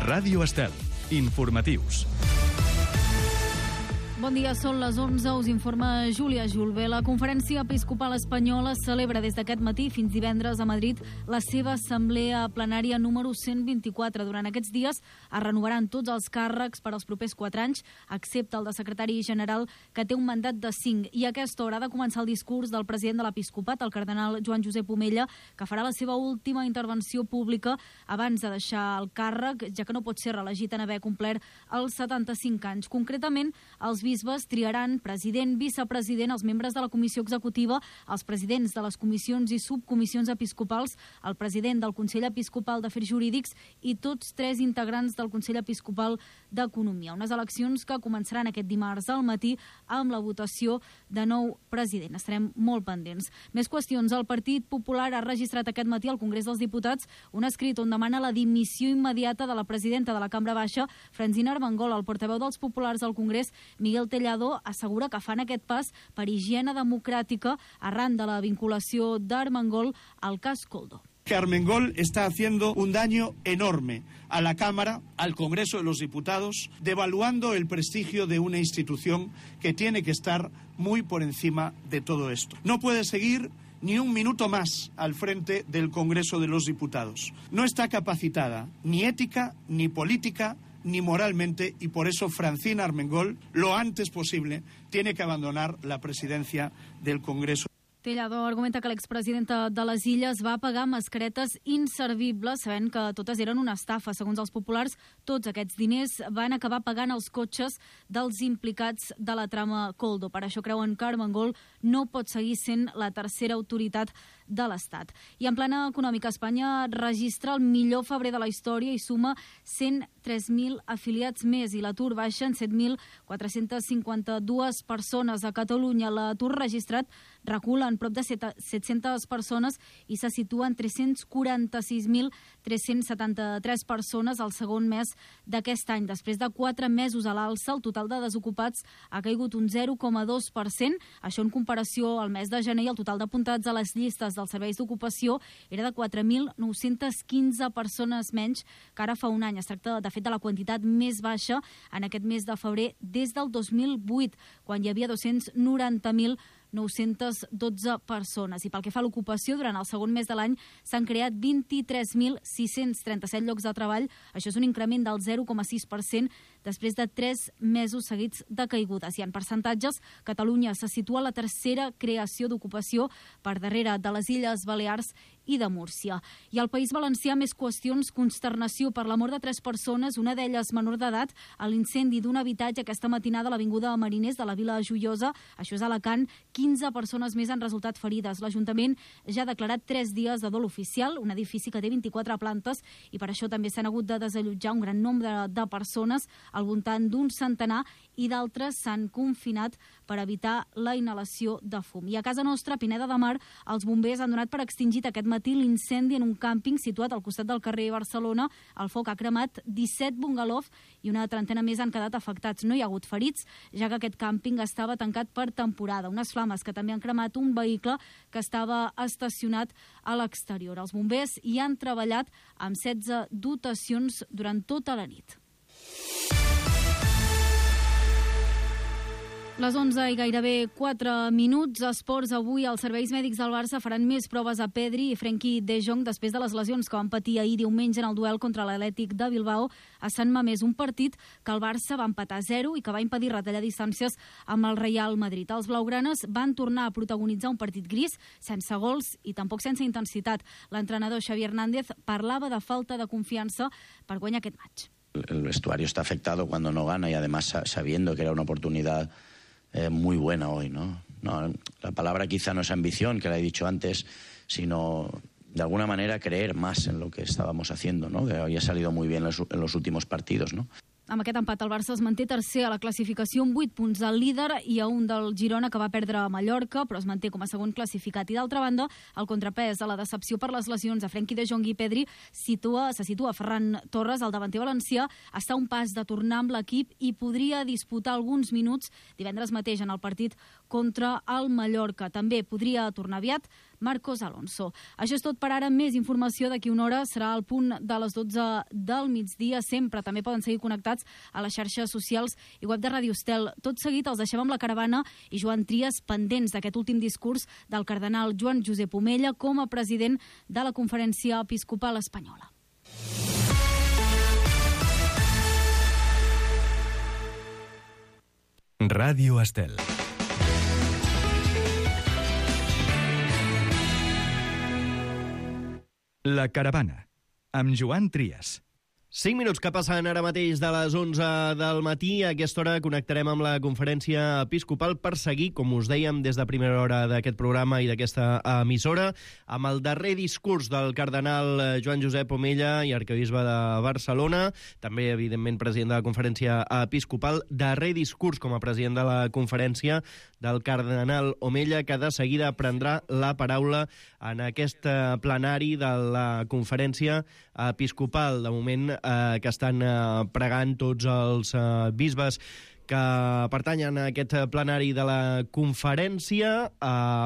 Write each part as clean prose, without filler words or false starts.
Ràdio Estel. Informatius. Bon dia, són les 11, us informa Júlia Julve. La Conferència Episcopal Espanyola celebra des d'aquest matí fins divendres a Madrid la seva assemblea plenària número 124. Durant aquests dies es renovaran tots els càrrecs per als propers 4 anys, excepte el de secretari general, que té un mandat de 5. I a aquesta hora ha de començar el discurs del president de l'Episcopat, el cardenal Joan Josep Omella, que farà la seva última intervenció pública abans de deixar el càrrec, ja que no pot ser reelegit en haver complert els 75 anys. Concretament, els bisbes triaran president, vicepresident, els membres de la comissió executiva, els presidents de les comissions i subcomissions episcopals, el president del Consell Episcopal d'Afers Jurídics i tots 3 integrants del Consell Episcopal d'Economia. Unes eleccions que començaran aquest dimarts al matí amb la votació de nou president. Estarem molt pendents. Més qüestions. El Partit Popular ha registrat aquest matí al Congrés dels Diputats un escrit on demana la dimissió immediata de la presidenta de la Cambra Baixa, Francina Armengol. El portaveu dels populars al Congrés, Miguel Tellado, assegura que fan aquest pas per higiene democràtica arran de la vinculació d'Armengol al cas Koldo. Que Armengol está haciendo un daño enorme a la Cámara, al Congreso de los Diputados, devaluando el prestigio de una institución que tiene que estar muy por encima de todo esto. No puede seguir ni un minuto más al frente del Congreso de los Diputados. No está capacitada ni ética, ni política, ni moralmente, y por eso Francina Armengol, lo antes posible, tiene que abandonar la presidencia del Congreso. Tellado argumenta que l'expresidenta de les Illes va pagar mascaretes inservibles, sabent que totes eren una estafa. Segons els populars, tots aquests diners van acabar pagant els cotxes dels implicats de la trama Koldo. Per això creuen que Armengol no pot seguir sent la tercera autoritat de l'Estat. I en plana econòmica, Espanya registra el millor febrer de la història i suma 103.000 afiliats més, i l'atur baixa en 7.452 persones. A Catalunya l'atur registrat recula en prop de 700 persones i se situa en 346.373 persones al segon mes d'aquest any. Després de 4 mesos a l'alça, el total de desocupats ha caigut un 0,2%. Això en comparació al mes de gener, i el total d'apuntats a les llistes dels serveis d'ocupació era de 4.915 persones menys que ara fa un any. Es tracta, de fet, de la quantitat més baixa en aquest mes de febrer des del 2008, quan hi havia 290.912 persones. I pel que fa a l'ocupació, durant el segon mes de l'any s'han creat 23.637 llocs de treball. Això és un increment del 0,6% després de 3 mesos seguits de caigudes. I en percentatges, Catalunya se situa a la tercera creació d'ocupació, per darrere de les Illes Balears i de Múrcia. I al País Valencià, més qüestions. Consternació per la mort de 3 persones, una d'elles menor d'edat, a l'incendi d'un habitatge aquesta matinada a l'avinguda Mariners de la Vila Joiosa. Això és a Alacant. 15 persones més han resultat ferides. L'Ajuntament ja ha declarat 3 dies de dol oficial, un edifici que té 24 plantes, i per això també s'han hagut de desallotjar un gran nombre de persones, al voltant d'un centenar, i d'altres s'han confinat per evitar la inhalació de fum. I a casa nostra, a Pineda de Mar, els bombers han donat per extingit aquest matí l'incendi en un càmping situat al costat del carrer Barcelona. El foc ha cremat 17 bungalous i una trentena més han quedat afectats. No hi ha hagut ferits, ja que aquest càmping estava tancat per temporada. Unes flames que també han cremat un vehicle que estava estacionat a l'exterior. Els bombers hi han treballat amb 16 dotacions durant tota la nit. Les 11 i gairebé 4 minuts. Esports. Avui els serveis mèdics del Barça faran més proves a Pedri i Frenkie de Jong després de les lesions que van patir ahir diumenge en el duel contra l'Atlètic de Bilbao a Sant Mamés, un partit que el Barça va empatar 0 i que va impedir retallar distàncies amb el Real Madrid. Els blaugranes van tornar a protagonitzar un partit gris, sense gols i tampoc sense intensitat. L'entrenador Xavi Hernández parlava de falta de confiança per guanyar aquest match. El vestuario está afectado cuando no gana y además sabiendo que era una oportunidad muy buena hoy, ¿no? La palabra quizá no es ambición, que la he dicho antes, sino de alguna manera creer más en lo que estábamos haciendo, ¿no? Que había salido muy bien en los últimos partidos, ¿no? Amb aquest empat el Barça es manté tercer a la classificació amb 8 punts del líder i a un del Girona, que va perdre a Mallorca, però es manté com a segon classificat. I d'altra banda, el contrapès a la decepció per les lesions a Frenkie de Jong i Pedri se situa Ferran Torres, el davanter valencià, està a un pas de tornar amb l'equip i podria disputar alguns minuts divendres mateix en el partit contra el Mallorca. També podria tornar aviat Marcos Alonso. Això és tot per ara. Més informació d'aquí una hora serà al punt de les 12 del migdia. Sempre també poden seguir connectats a les xarxes socials i web de Ràdio Estel. Tot seguit els deixem amb la caravana i Joan Trias pendents d'aquest últim discurs del cardenal Joan Josep Omella com a president de la Conferència Episcopal Espanyola. Ràdio Estel. La caravana, amb Joan Trias. 5 minuts que passen ara mateix de les 11 del matí. A aquesta hora connectarem amb la Conferència Episcopal per seguir, com us dèiem, des de primera hora d'aquest programa i d'aquesta emissora, amb el darrer discurs del cardenal Joan Josep Omella i arquebisbe de Barcelona, també, evidentment, president de la Conferència Episcopal. Darrer discurs com a president de la Conferència del cardenal Omella, que de seguida prendrà la paraula en aquest plenari de la Conferència Episcopal. De moment, que estan pregant tots els bisbes que pertanyen a aquest plenari de la conferència,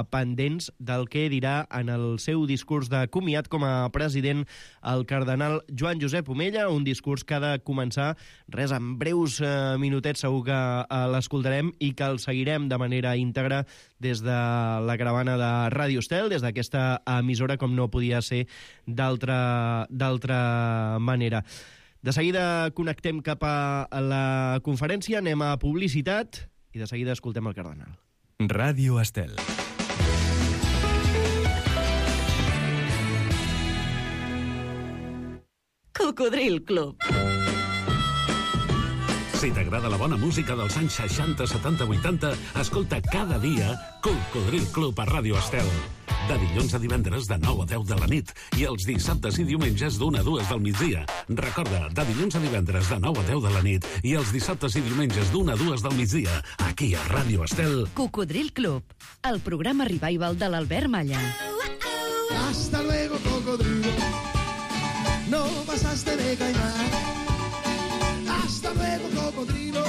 pendents del que dirà en el seu discurs de comiat com a president el cardenal Joan Josep Omella, un discurs que ha de començar en breus minutets, segur que l'escoltarem i que el seguirem de manera íntegra des de la caravana de Ràdio Estel, des d'aquesta emissora, com no podia ser d'altra manera. De seguida connectem cap a la conferència, anem a publicitat i de seguida escoltem el cardenal. Ràdio Estel. Cocodril Club. Si t'agrada la bona música dels anys 60, 70, 80, escolta cada dia Cocodril Club a Ràdio Estel. De dilluns a divendres de 9 a 10 de la nit i els dissabtes i diumenges d'1 a 2 del migdia. Recorda, de dilluns a divendres de 9 a 10 de la nit i els dissabtes i diumenges d'1 a 2 del migdia, aquí a Ràdio Estel. Cocodril Club, el programa revival de l'Albert Malla. Hasta luego, cocodrilo. No pasaste de caimán. Hasta luego, cocodrilo.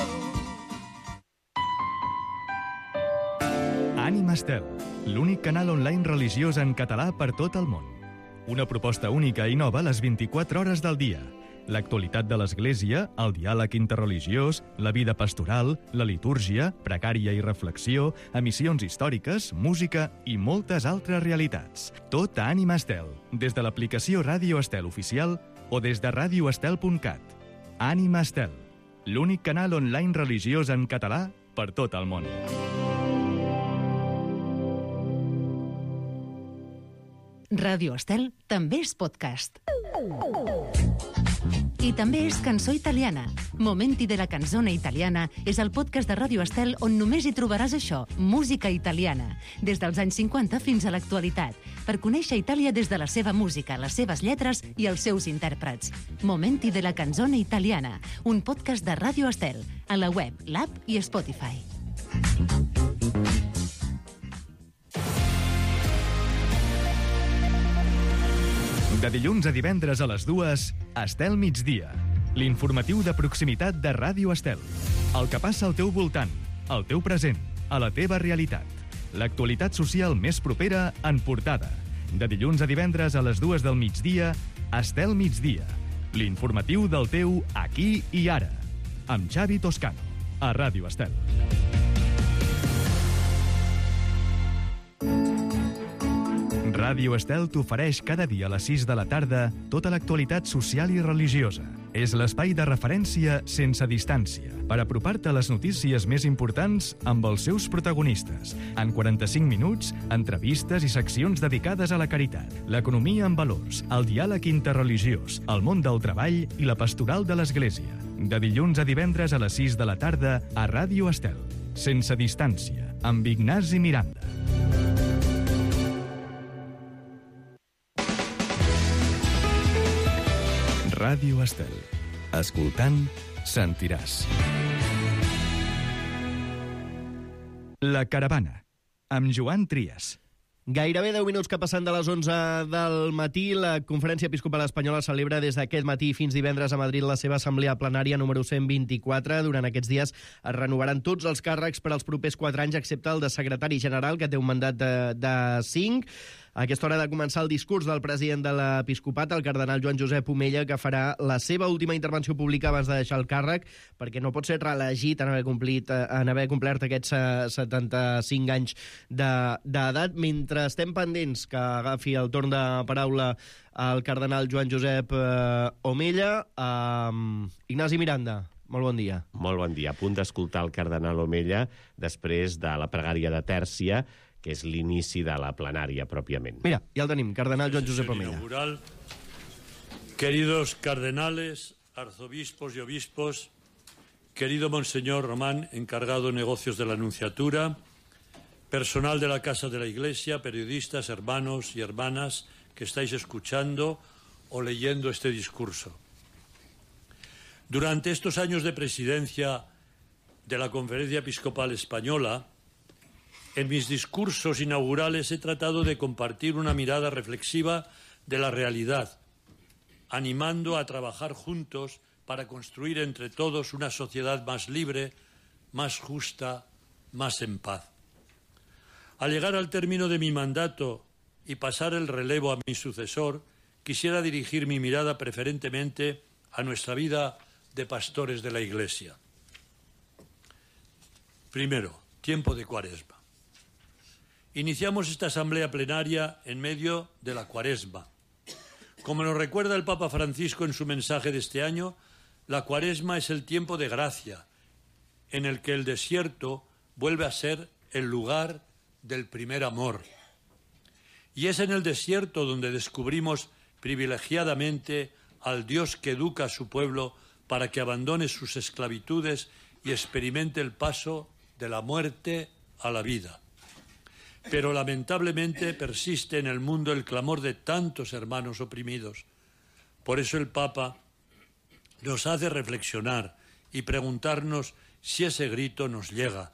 Ànima Estel, l'únic canal online religiós en català per tot el món. Una proposta única i nova a les 24 hores del dia. L'actualitat de l'Església, el diàleg interreligiós, la vida pastoral, la litúrgia, pregària i reflexió, emissions històriques, música i moltes altres realitats. Tot a Ànima Estel, des de l'aplicació Ràdio Estel oficial o des de radioestel.cat. Ànima Estel, l'únic canal online religiós en català per tot el món. Ràdio Estel també és podcast. I també és cançó italiana. Momenti de la canzone italiana és el podcast de Ràdio Estel on només hi trobaràs això, música italiana, des dels anys 50 fins a l'actualitat, per conèixer Itàlia des de la seva música, les seves lletres i els seus intèrprets. Momenti de la canzone italiana, un podcast de Ràdio Estel, a la web, l'app i Spotify. De dilluns a divendres a les 2, Estel Migdia. L'informatiu de proximitat de Ràdio Estel. El que passa al teu voltant, al teu present, a la teva realitat. L'actualitat social més propera en portada. De dilluns a divendres a les 2 del migdia, Estel Migdia. L'informatiu del teu aquí i ara. Amb Xavi Toscano, a Ràdio Estel. Ràdio Estel t'ofereix cada dia a les 6 de la tarda tota l'actualitat social i religiosa. És l'espai de referència sense distància per apropar-te a les notícies més importants amb els seus protagonistes. En 45 minuts, entrevistes i seccions dedicades a la caritat, l'economia en valors, el diàleg interreligiós, el món del treball i la pastoral de l'Església. De dilluns a divendres a les 6 de la tarda a Ràdio Estel. Sense distància, amb Ignasi Miranda. Ràdio Estel. Escoltant, sentiràs. La caravana, amb Joan Trias. Gairebé 10 minuts que passen de les 11 del matí. La Conferència Episcopal Espanyola celebra des d'aquest matí fins divendres a Madrid la seva assemblea plenària número 124. Durant aquests dies es renovaran tots els càrrecs per als propers 4 anys, excepte el de secretari general, que té un mandat de 5. A aquesta hora ha de començar el discurs del president de l'Episcopat, el cardenal Joan Josep Omella, que farà la seva última intervenció pública abans de deixar el càrrec, perquè no pot ser reelegit en haver complert aquests 75 anys d'edat. Mentre estem pendents que agafi el torn de paraula el cardenal Joan Josep Omella, Ignasi Miranda, molt bon dia. Molt bon dia. A punt d'escoltar el cardenal Omella després de la pregària de Tèrcia, que és l'inici de la plenària pròpiament. Mira, ja el tenim, cardenal Joan Josep Omella. Inaugural. Queridos cardenales, arzobispos y obispos, querido Monseñor Román, encargado de negocios de la Nunciatura, personal de la Casa de la Iglesia, periodistas, hermanos y hermanas que estáis escuchando o leyendo este discurso. Durante estos años de presidencia de la Conferencia Episcopal Española, en mis discursos inaugurales he tratado de compartir una mirada reflexiva de la realidad, animando a trabajar juntos para construir entre todos una sociedad más libre, más justa, más en paz. Al llegar al término de mi mandato y pasar el relevo a mi sucesor, quisiera dirigir mi mirada preferentemente a nuestra vida de pastores de la Iglesia. Primero, tiempo de Cuaresma. Iniciamos esta asamblea plenaria en medio de la Cuaresma. Como nos recuerda el Papa Francisco en su mensaje de este año, la Cuaresma es el tiempo de gracia, en el que el desierto vuelve a ser el lugar del primer amor. Y es en el desierto donde descubrimos privilegiadamente al Dios que educa a su pueblo para que abandone sus esclavitudes y experimente el paso de la muerte a la vida. Pero lamentablemente persiste en el mundo el clamor de tantos hermanos oprimidos. Por eso el Papa nos hace reflexionar y preguntarnos si ese grito nos llega,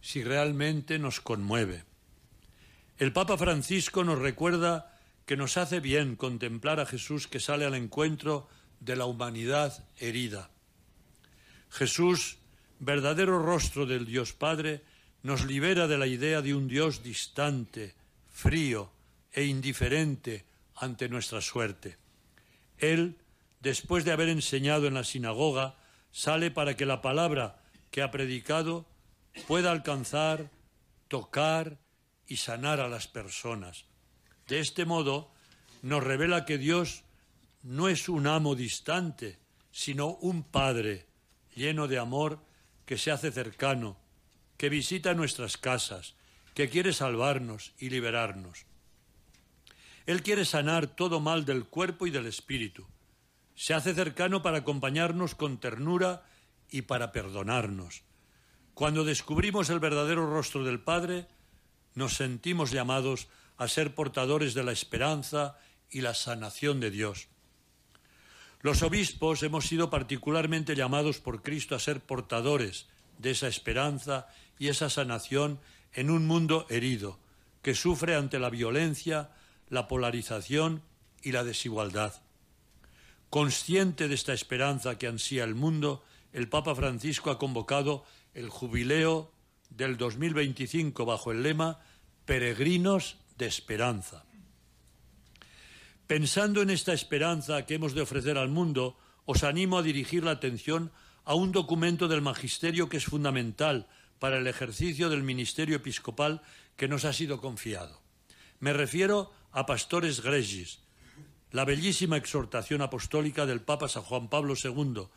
si realmente nos conmueve. El Papa Francisco nos recuerda que nos hace bien contemplar a Jesús que sale al encuentro de la humanidad herida. Jesús, verdadero rostro del Dios Padre, nos libera de la idea de un Dios distante, frío e indiferente ante nuestra suerte. Él, después de haber enseñado en la sinagoga, sale para que la palabra que ha predicado pueda alcanzar, tocar y sanar a las personas. De este modo, nos revela que Dios no es un amo distante, sino un Padre lleno de amor que se hace cercano, que visita nuestras casas, que quiere salvarnos y liberarnos. Él quiere sanar todo mal del cuerpo y del espíritu. Se hace cercano para acompañarnos con ternura y para perdonarnos. Cuando descubrimos el verdadero rostro del Padre, nos sentimos llamados a ser portadores de la esperanza y la sanación de Dios. Los obispos hemos sido particularmente llamados por Cristo a ser portadores de esa esperanza y esa sanación en un mundo herido, que sufre ante la violencia, la polarización y la desigualdad. Consciente de esta esperanza que ansía el mundo, el Papa Francisco ha convocado el jubileo del 2025 bajo el lema Peregrinos de Esperanza. Pensando en esta esperanza que hemos de ofrecer al mundo, os animo a dirigir la atención a un documento del Magisterio que es fundamental para el ejercicio del ministerio episcopal que nos ha sido confiado. Me refiero a Pastores Gregis, la bellísima exhortación apostólica del Papa San Juan Pablo II,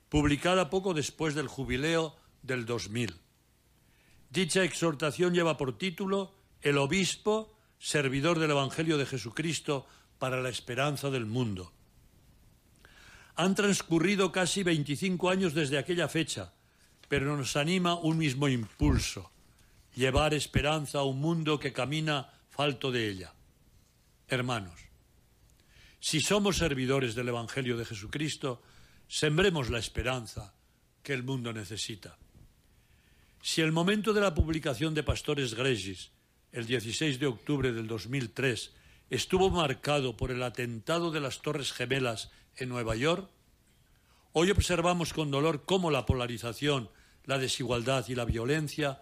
publicada poco después del jubileo del 2000. Dicha exhortación lleva por título El obispo, servidor del Evangelio de Jesucristo para la esperanza del mundo. Han transcurrido casi 25 años desde aquella fecha, pero nos anima un mismo impulso: llevar esperanza a un mundo que camina falto de ella. Hermanos, si somos servidores del Evangelio de Jesucristo, sembremos la esperanza que el mundo necesita. Si el momento de la publicación de Pastores Gregis el 16 de octubre del 2003, estuvo marcado por el atentado de las Torres Gemelas en Nueva York, hoy observamos con dolor cómo la polarización, la desigualdad y la violencia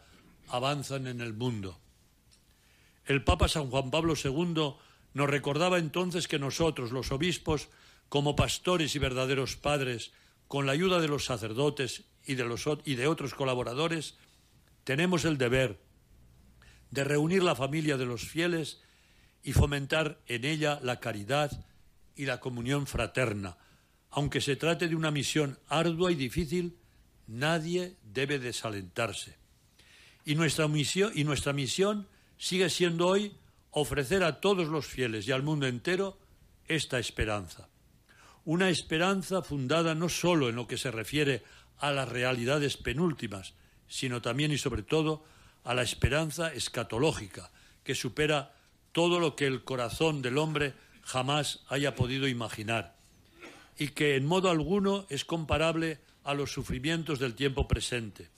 avanzan en el mundo. El Papa San Juan Pablo II nos recordaba entonces que nosotros, los obispos, como pastores y verdaderos padres, con la ayuda de los sacerdotes y de otros colaboradores, tenemos el deber de reunir la familia de los fieles y fomentar en ella la caridad y la comunión fraterna. Aunque se trate de una misión ardua y difícil, nadie debe desalentarse. Y nuestra misión sigue siendo hoy ofrecer a todos los fieles y al mundo entero esta esperanza. Una esperanza fundada no solo en lo que se refiere a las realidades penúltimas, sino también y sobre todo a la esperanza escatológica, que supera todo lo que el corazón del hombre jamás haya podido imaginar, y que en modo alguno es comparable a los sufrimientos del tiempo presente.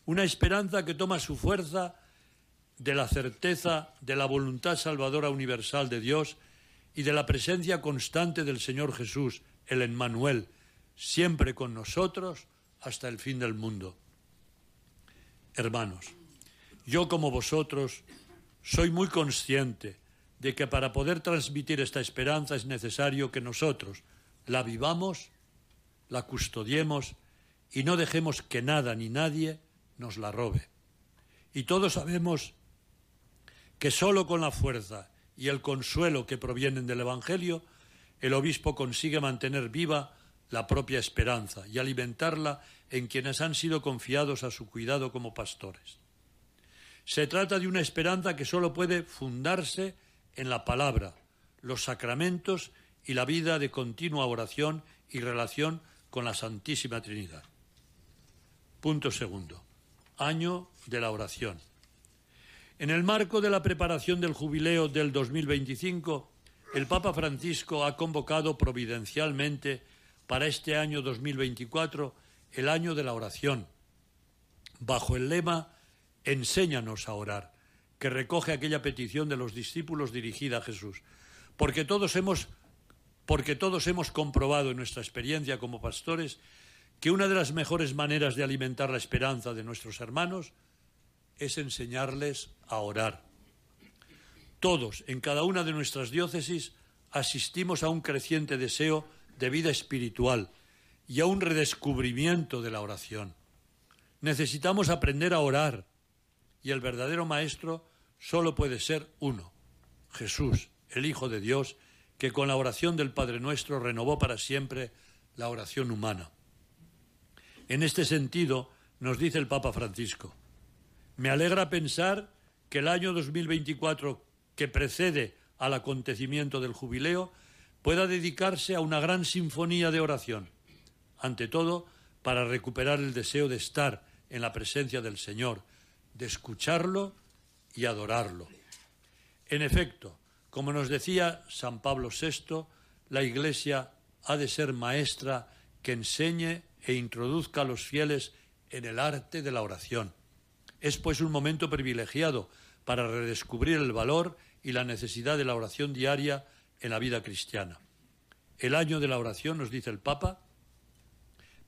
Una esperanza que toma su fuerza de la certeza de la voluntad salvadora universal de Dios y de la presencia constante del Señor Jesús, el Emmanuel, siempre con nosotros hasta el fin del mundo. Hermanos, yo como vosotros soy muy consciente de que para poder transmitir esta esperanza es necesario que nosotros la vivamos, la custodiemos y no dejemos que nada ni nadie nos la robe. Y todos sabemos que solo con la fuerza y el consuelo que provienen del Evangelio, el obispo consigue mantener viva la propia esperanza y alimentarla en quienes han sido confiados a su cuidado como pastores. Se trata de una esperanza que solo puede fundarse en la palabra, los sacramentos y la vida de continua oración y relación con la Santísima Trinidad. Punto segundo. Año de la oración. En el marco de la preparación del jubileo del 2025, el Papa Francisco ha convocado providencialmente para este año 2024 el año de la oración, bajo el lema «Enséñanos a orar», que recoge aquella petición de los discípulos dirigida a Jesús. Porque todos hemos comprobado en nuestra experiencia como pastores que una de las mejores maneras de alimentar la esperanza de nuestros hermanos es enseñarles a orar. Todos, en cada una de nuestras diócesis, asistimos a un creciente deseo de vida espiritual y a un redescubrimiento de la oración. Necesitamos aprender a orar y el verdadero maestro solo puede ser uno, Jesús, el Hijo de Dios, que con la oración del Padre Nuestro renovó para siempre la oración humana. En este sentido, nos dice el Papa Francisco: me alegra pensar que el año 2024, que precede al acontecimiento del jubileo, pueda dedicarse a una gran sinfonía de oración, ante todo para recuperar el deseo de estar en la presencia del Señor, de escucharlo y adorarlo. En efecto, como nos decía San Pablo VI, la Iglesia ha de ser maestra que enseñe e introduzca a los fieles en el arte de la oración. Es pues un momento privilegiado para redescubrir el valor y la necesidad de la oración diaria en la vida cristiana. El año de la oración, nos dice el Papa,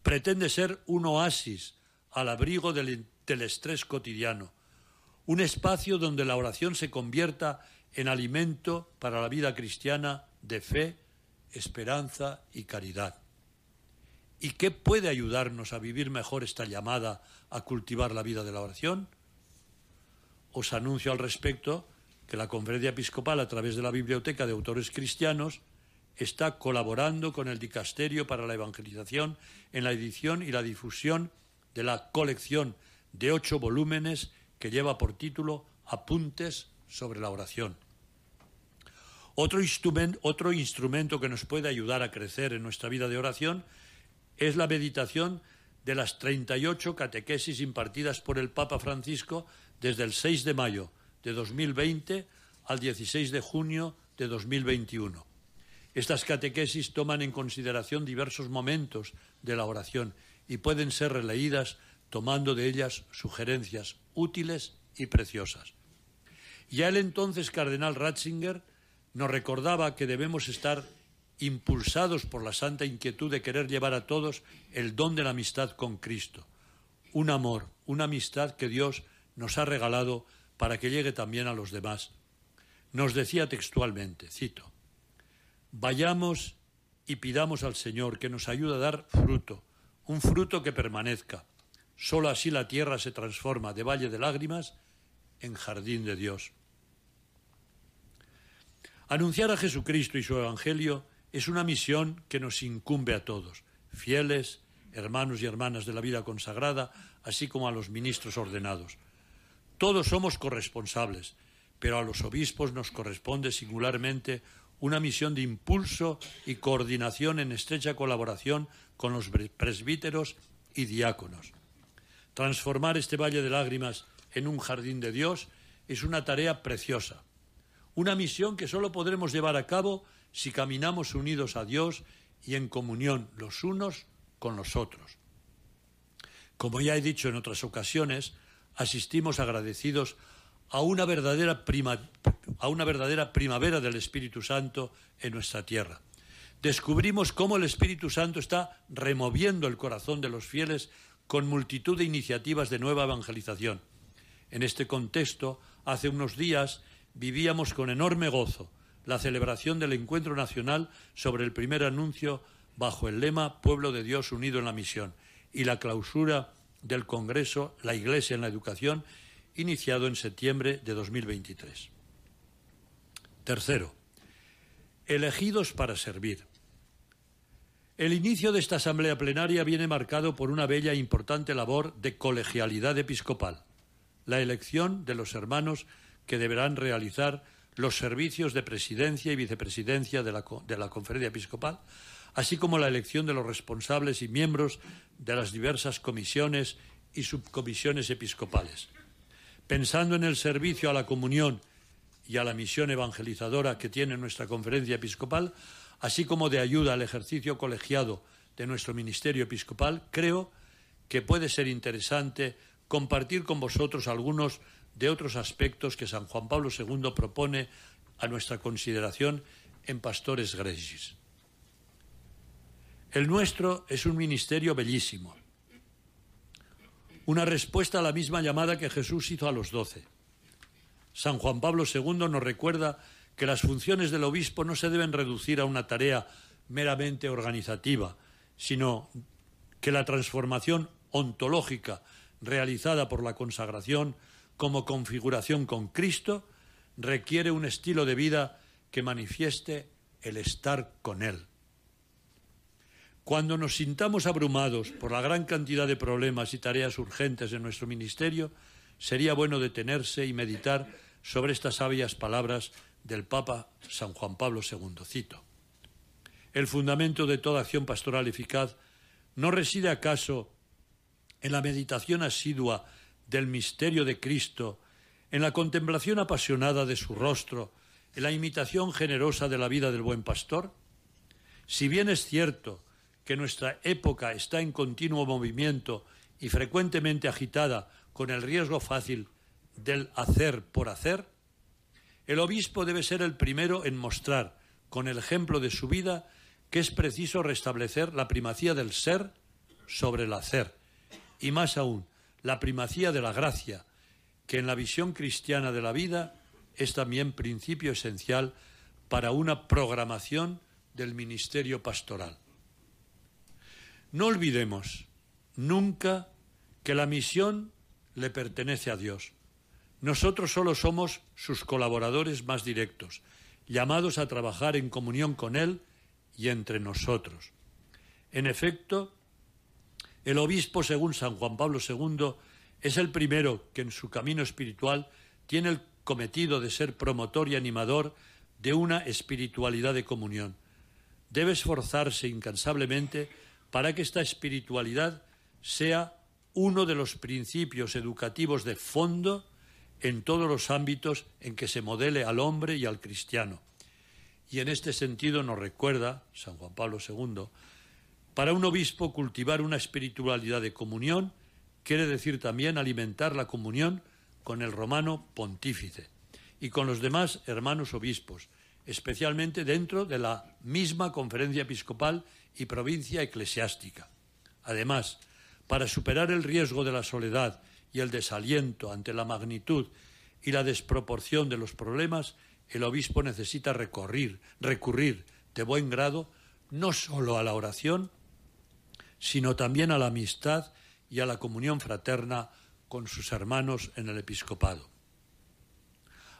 pretende ser un oasis al abrigo del estrés cotidiano, un espacio donde la oración se convierta en alimento para la vida cristiana de fe, esperanza y caridad. ¿Y qué puede ayudarnos a vivir mejor esta llamada a cultivar la vida de la oración? Os anuncio al respecto que la Conferencia Episcopal, a través de la Biblioteca de Autores Cristianos, está colaborando con el Dicasterio para la Evangelización en la edición y la difusión de la colección de 8 volúmenes que lleva por título Apuntes sobre la oración. Otro instrumento que nos puede ayudar a crecer en nuestra vida de oración es la meditación de las 38 catequesis impartidas por el Papa Francisco desde el 6 de mayo de 2020 al 16 de junio de 2021. Estas catequesis toman en consideración diversos momentos de la oración y pueden ser releídas tomando de ellas sugerencias útiles y preciosas. Ya el entonces cardenal Ratzinger nos recordaba que debemos estar impulsados por la santa inquietud de querer llevar a todos el don de la amistad con Cristo, un amor, una amistad que Dios nos ha regalado para que llegue también a los demás. Nos decía textualmente, cito, vayamos y pidamos al Señor que nos ayude a dar fruto, un fruto que permanezca. Solo así la tierra se transforma de valle de lágrimas en jardín de Dios. Anunciar a Jesucristo y su Evangelio es una misión que nos incumbe a todos, fieles, hermanos y hermanas de la vida consagrada, así como a los ministros ordenados. Todos somos corresponsables, pero a los obispos nos corresponde singularmente una misión de impulso y coordinación en estrecha colaboración con los presbíteros y diáconos. Transformar este valle de lágrimas en un jardín de Dios es una tarea preciosa, una misión que solo podremos llevar a cabo si caminamos unidos a Dios y en comunión los unos con los otros. Como ya he dicho en otras ocasiones, asistimos agradecidos a una verdadera primavera del Espíritu Santo en nuestra tierra. Descubrimos cómo el Espíritu Santo está removiendo el corazón de los fieles con multitud de iniciativas de nueva evangelización. En este contexto, hace unos días vivíamos con enorme gozo la celebración del Encuentro Nacional sobre el primer anuncio bajo el lema Pueblo de Dios unido en la misión y la clausura del Congreso La Iglesia en la Educación, iniciado en septiembre de 2023. Tercero, elegidos para servir. El inicio de esta asamblea plenaria viene marcado por una bella e importante labor de colegialidad episcopal, la elección de los hermanos que deberán realizar los servicios de presidencia y vicepresidencia de la Conferencia Episcopal, así como la elección de los responsables y miembros de las diversas comisiones y subcomisiones episcopales. Pensando en el servicio a la comunión y a la misión evangelizadora que tiene nuestra Conferencia Episcopal, así como de ayuda al ejercicio colegiado de nuestro ministerio episcopal, creo que puede ser interesante compartir con vosotros algunos de otros aspectos que San Juan Pablo II propone a nuestra consideración en Pastores Gregis. El nuestro es un ministerio bellísimo, una respuesta a la misma llamada que Jesús hizo a los 12. San Juan Pablo II nos recuerda que las funciones del obispo no se deben reducir a una tarea meramente organizativa, sino que la transformación ontológica realizada por la consagración como configuración con Cristo requiere un estilo de vida que manifieste el estar con Él. Cuando nos sintamos abrumados por la gran cantidad de problemas y tareas urgentes en nuestro ministerio, sería bueno detenerse y meditar sobre estas sabias palabras del Papa San Juan Pablo II. Cito: el fundamento de toda acción pastoral eficaz no reside acaso en la meditación asidua del misterio de Cristo, en la contemplación apasionada de su rostro, en la imitación generosa de la vida del buen pastor. Si bien es cierto que nuestra época está en continuo movimiento y frecuentemente agitada con el riesgo fácil del hacer por hacer, el obispo debe ser el primero en mostrar, con el ejemplo de su vida, que es preciso restablecer la primacía del ser sobre el hacer, y más aún, la primacía de la gracia, que en la visión cristiana de la vida es también principio esencial para una programación del ministerio pastoral. No olvidemos nunca que la misión le pertenece a Dios. Nosotros solo somos sus colaboradores más directos, llamados a trabajar en comunión con Él y entre nosotros. En efecto, el obispo, según San Juan Pablo II, es el primero que en su camino espiritual tiene el cometido de ser promotor y animador de una espiritualidad de comunión. Debe esforzarse incansablemente para que esta espiritualidad sea uno de los principios educativos de fondo en todos los ámbitos en que se modele al hombre y al cristiano. Y en este sentido nos recuerda San Juan Pablo II, para un obispo cultivar una espiritualidad de comunión quiere decir también alimentar la comunión con el romano pontífice y con los demás hermanos obispos, especialmente dentro de la misma Conferencia Episcopal y provincia eclesiástica. Además, para superar el riesgo de la soledad y el desaliento ante la magnitud y la desproporción de los problemas, el obispo necesita recurrir de buen grado no solo a la oración, sino también a la amistad y a la comunión fraterna con sus hermanos en el episcopado.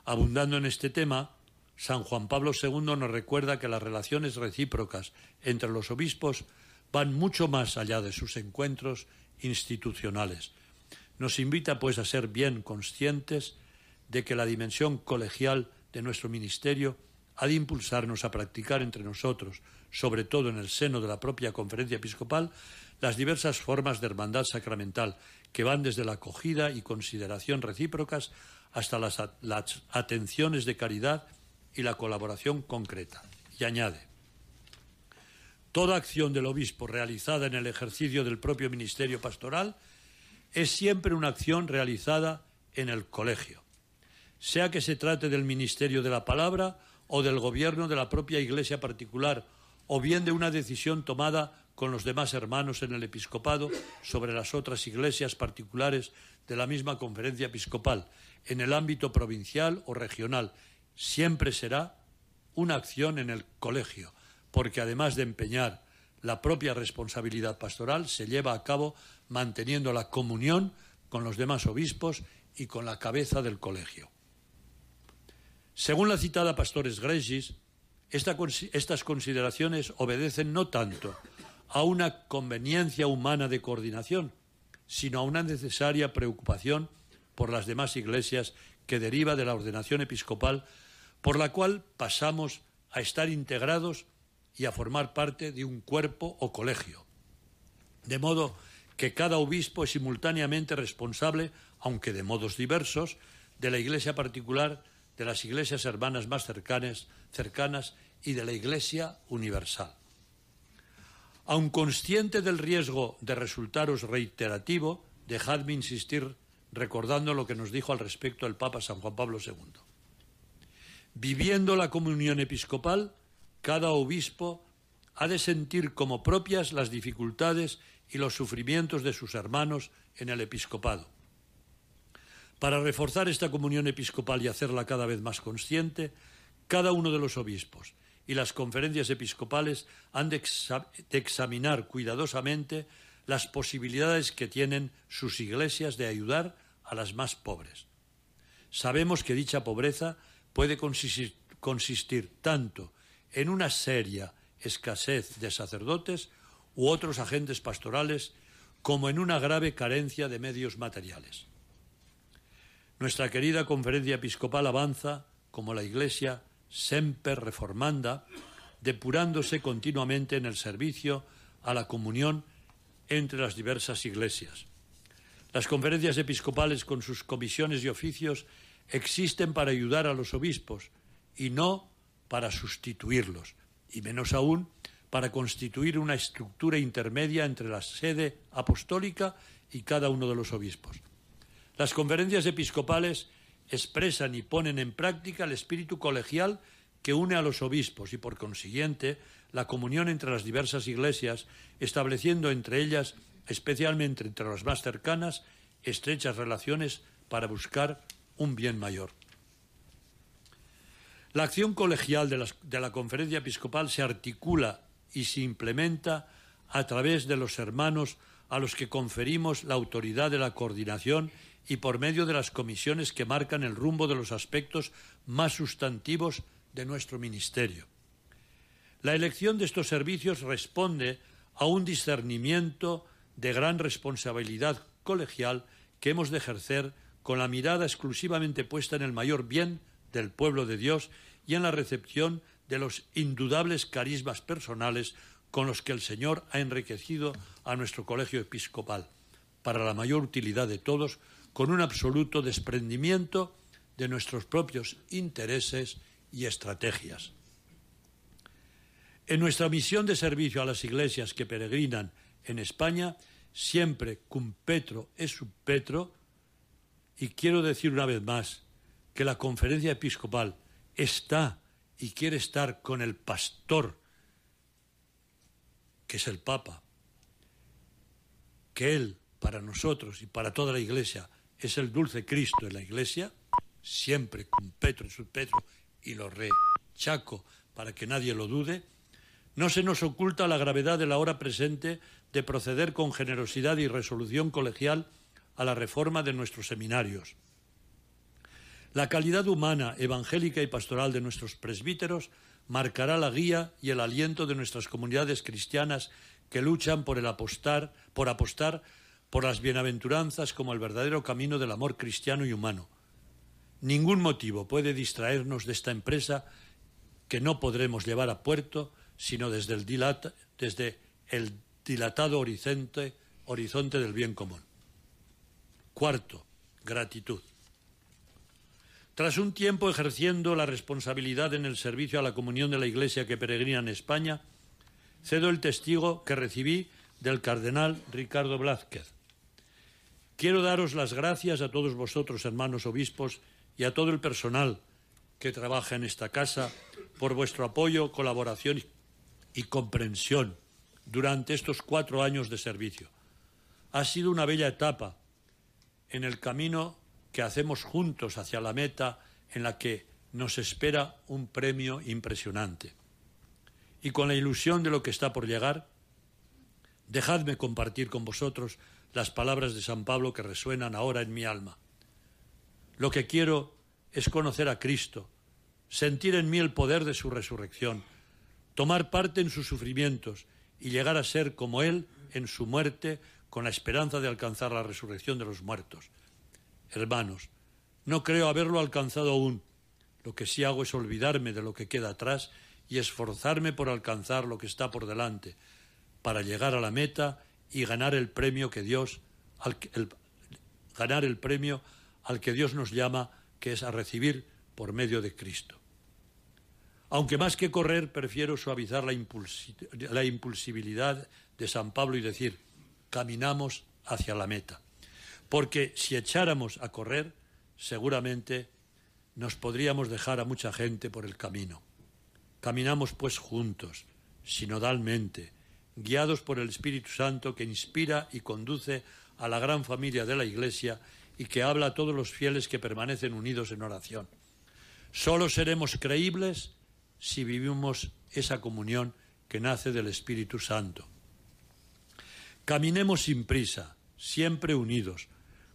Abundando en este tema, San Juan Pablo II nos recuerda que las relaciones recíprocas entre los obispos van mucho más allá de sus encuentros institucionales. Nos invita, pues, a ser bien conscientes de que la dimensión colegial de nuestro ministerio ha de impulsarnos a practicar entre nosotros, sobre todo en el seno de la propia Conferencia Episcopal, las diversas formas de hermandad sacramental que van desde la acogida y consideración recíprocas hasta las atenciones de caridad y la colaboración concreta. Y añade: toda acción del obispo realizada en el ejercicio del propio ministerio pastoral es siempre una acción realizada en el colegio, sea que se trate del ministerio de la palabra o del gobierno de la propia iglesia particular, o bien de una decisión tomada con los demás hermanos en el episcopado sobre las otras iglesias particulares de la misma Conferencia Episcopal, en el ámbito provincial o regional. Siempre será una acción en el colegio, porque además de empeñar la propia responsabilidad pastoral, se lleva a cabo manteniendo la comunión con los demás obispos y con la cabeza del colegio. Según la citada Pastores Gregis, estas consideraciones obedecen no tanto a una conveniencia humana de coordinación, sino a una necesaria preocupación por las demás iglesias que deriva de la ordenación episcopal, por la cual pasamos a estar integrados y a formar parte de un cuerpo o colegio. De modo que cada obispo es simultáneamente responsable, aunque de modos diversos, de la iglesia particular, de las iglesias hermanas más cercanas y de la iglesia universal. Aun consciente del riesgo de resultaros reiterativo, dejadme insistir recordando lo que nos dijo al respecto el Papa San Juan Pablo II. Viviendo la comunión episcopal, cada obispo ha de sentir como propias las dificultades y los sufrimientos de sus hermanos en el episcopado. Para reforzar esta comunión episcopal y hacerla cada vez más consciente, cada uno de los obispos y las conferencias episcopales han de examinar cuidadosamente las posibilidades que tienen sus iglesias de ayudar a las más pobres. Sabemos que dicha pobreza puede consistir tanto en una seria escasez de sacerdotes u otros agentes pastorales como en una grave carencia de medios materiales. Nuestra querida Conferencia Episcopal avanza como la Iglesia semper reformanda, depurándose continuamente en el servicio a la comunión entre las diversas iglesias. Las conferencias episcopales, con sus comisiones y oficios, existen para ayudar a los obispos y no para sustituirlos, y menos aún para constituir una estructura intermedia entre la sede apostólica y cada uno de los obispos. Las conferencias episcopales expresan y ponen en práctica el espíritu colegial que une a los obispos y, por consiguiente, la comunión entre las diversas iglesias, estableciendo entre ellas, especialmente entre las más cercanas, estrechas relaciones para buscar un bien mayor. La acción colegial de la Conferencia Episcopal se articula y se implementa a través de los hermanos a los que conferimos la autoridad de la coordinación y por medio de las comisiones que marcan el rumbo de los aspectos más sustantivos de nuestro ministerio. La elección de estos servicios responde a un discernimiento de gran responsabilidad colegial que hemos de ejercer con la mirada exclusivamente puesta en el mayor bien del pueblo de Dios y en la recepción de los indudables carismas personales con los que el Señor ha enriquecido a nuestro colegio episcopal, para la mayor utilidad de todos, con un absoluto desprendimiento de nuestros propios intereses y estrategias. En nuestra misión de servicio a las iglesias que peregrinan en España, siempre cum petro et sub petro, y quiero decir una vez más, que la Conferencia Episcopal está y quiere estar con el pastor, que es el Papa, que él, para nosotros y para toda la Iglesia, es el dulce Cristo en la Iglesia, siempre con Petro y subpetro, y lo rechaco para que nadie lo dude, no se nos oculta la gravedad de la hora presente de proceder con generosidad y resolución colegial a la reforma de nuestros seminarios. La calidad humana, evangélica y pastoral de nuestros presbíteros marcará la guía y el aliento de nuestras comunidades cristianas que luchan por apostar por las bienaventuranzas como el verdadero camino del amor cristiano y humano. Ningún motivo puede distraernos de esta empresa que no podremos llevar a puerto sino desde el dilatado horizonte del bien común. Cuarto, gratitud. Tras un tiempo ejerciendo la responsabilidad en el servicio a la comunión de la Iglesia que peregrina en España, cedo el testigo que recibí del cardenal Ricardo Blázquez. Quiero daros las gracias a todos vosotros, hermanos obispos, y a todo el personal que trabaja en esta casa por vuestro apoyo, colaboración y comprensión durante estos 4 años de servicio. Ha sido una bella etapa en el camino que hacemos juntos hacia la meta en la que nos espera un premio impresionante. Y con la ilusión de lo que está por llegar, dejadme compartir con vosotros las palabras de San Pablo que resuenan ahora en mi alma. Lo que quiero es conocer a Cristo, sentir en mí el poder de su resurrección, tomar parte en sus sufrimientos y llegar a ser como Él en su muerte, con la esperanza de alcanzar la resurrección de los muertos. Hermanos, no creo haberlo alcanzado aún. Lo que sí hago es olvidarme de lo que queda atrás y esforzarme por alcanzar lo que está por delante, para llegar a la meta y ganar el premio al que Dios nos llama, que es a recibir por medio de Cristo. Aunque más que correr, prefiero suavizar la impulsibilidad de San Pablo y decir, caminamos hacia la meta. Porque si echáramos a correr, seguramente nos podríamos dejar a mucha gente por el camino. Caminamos pues juntos, sinodalmente, guiados por el Espíritu Santo que inspira y conduce a la gran familia de la Iglesia y que habla a todos los fieles que permanecen unidos en oración. Solo seremos creíbles si vivimos esa comunión que nace del Espíritu Santo. Caminemos sin prisa, siempre unidos,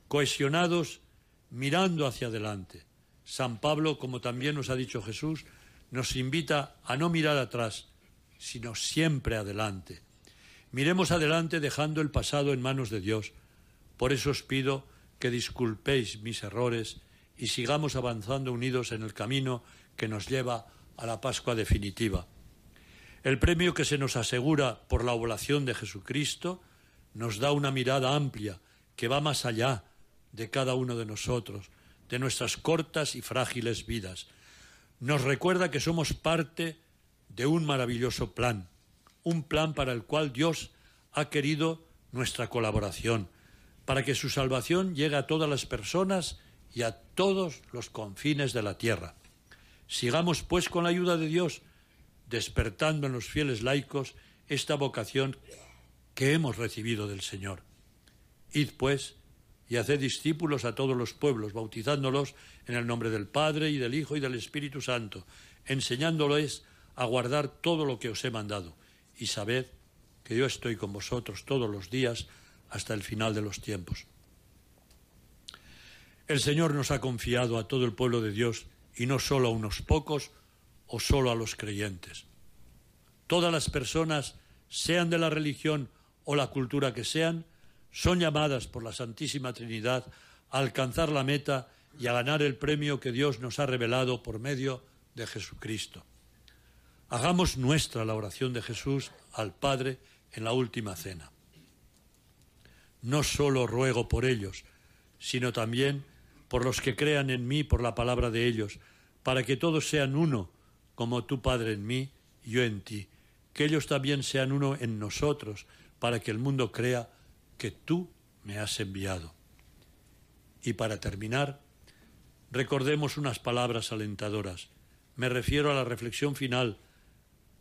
cohesionados, mirando hacia adelante. San Pablo, como también nos ha dicho Jesús, nos invita a no mirar atrás, sino siempre adelante. Miremos adelante dejando el pasado en manos de Dios. Por eso os pido que disculpéis mis errores y sigamos avanzando unidos en el camino que nos lleva a la Pascua definitiva. El premio que se nos asegura por la oblación de Jesucristo nos da una mirada amplia que va más allá de cada uno de nosotros, de nuestras cortas y frágiles vidas. Nos recuerda que somos parte de un maravilloso plan, un plan para el cual Dios ha querido nuestra colaboración, para que su salvación llegue a todas las personas y a todos los confines de la tierra. Sigamos, pues, con la ayuda de Dios, despertando en los fieles laicos esta vocación que hemos recibido del Señor. Id, pues, y haced discípulos a todos los pueblos, bautizándolos en el nombre del Padre, y del Hijo, y del Espíritu Santo, enseñándoles a guardar todo lo que os he mandado. Y sabed que yo estoy con vosotros todos los días hasta el final de los tiempos. El Señor nos ha confiado a todo el pueblo de Dios, y no solo a unos pocos o solo a los creyentes. Todas las personas, sean de la religión o la cultura que sean, son llamadas por la Santísima Trinidad a alcanzar la meta y a ganar el premio que Dios nos ha revelado por medio de Jesucristo. Hagamos nuestra la oración de Jesús al Padre en la última cena. No solo ruego por ellos, sino también por los que crean en mí por la palabra de ellos, para que todos sean uno, como tú, Padre, en mí y yo en ti, que ellos también sean uno en nosotros, para que el mundo crea que tú me has enviado. Y para terminar, recordemos unas palabras alentadoras. Me refiero a la reflexión final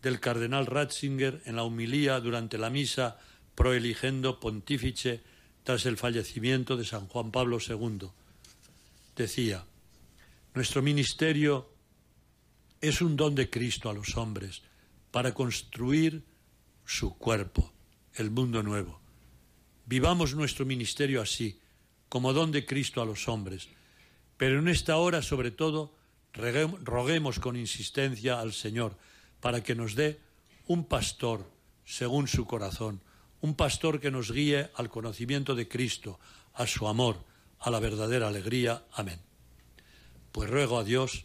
del cardenal Ratzinger en la homilía durante la misa pro eligendo pontífice tras el fallecimiento de San Juan Pablo II. Decía: nuestro ministerio es un don de Cristo a los hombres para construir su cuerpo, el mundo nuevo. Vivamos nuestro ministerio así, como don de Cristo a los hombres, pero en esta hora, sobre todo, roguemos con insistencia al Señor para que nos dé un pastor según su corazón, un pastor que nos guíe al conocimiento de Cristo, a su amor, a la verdadera alegría. Amén. Pues ruego a Dios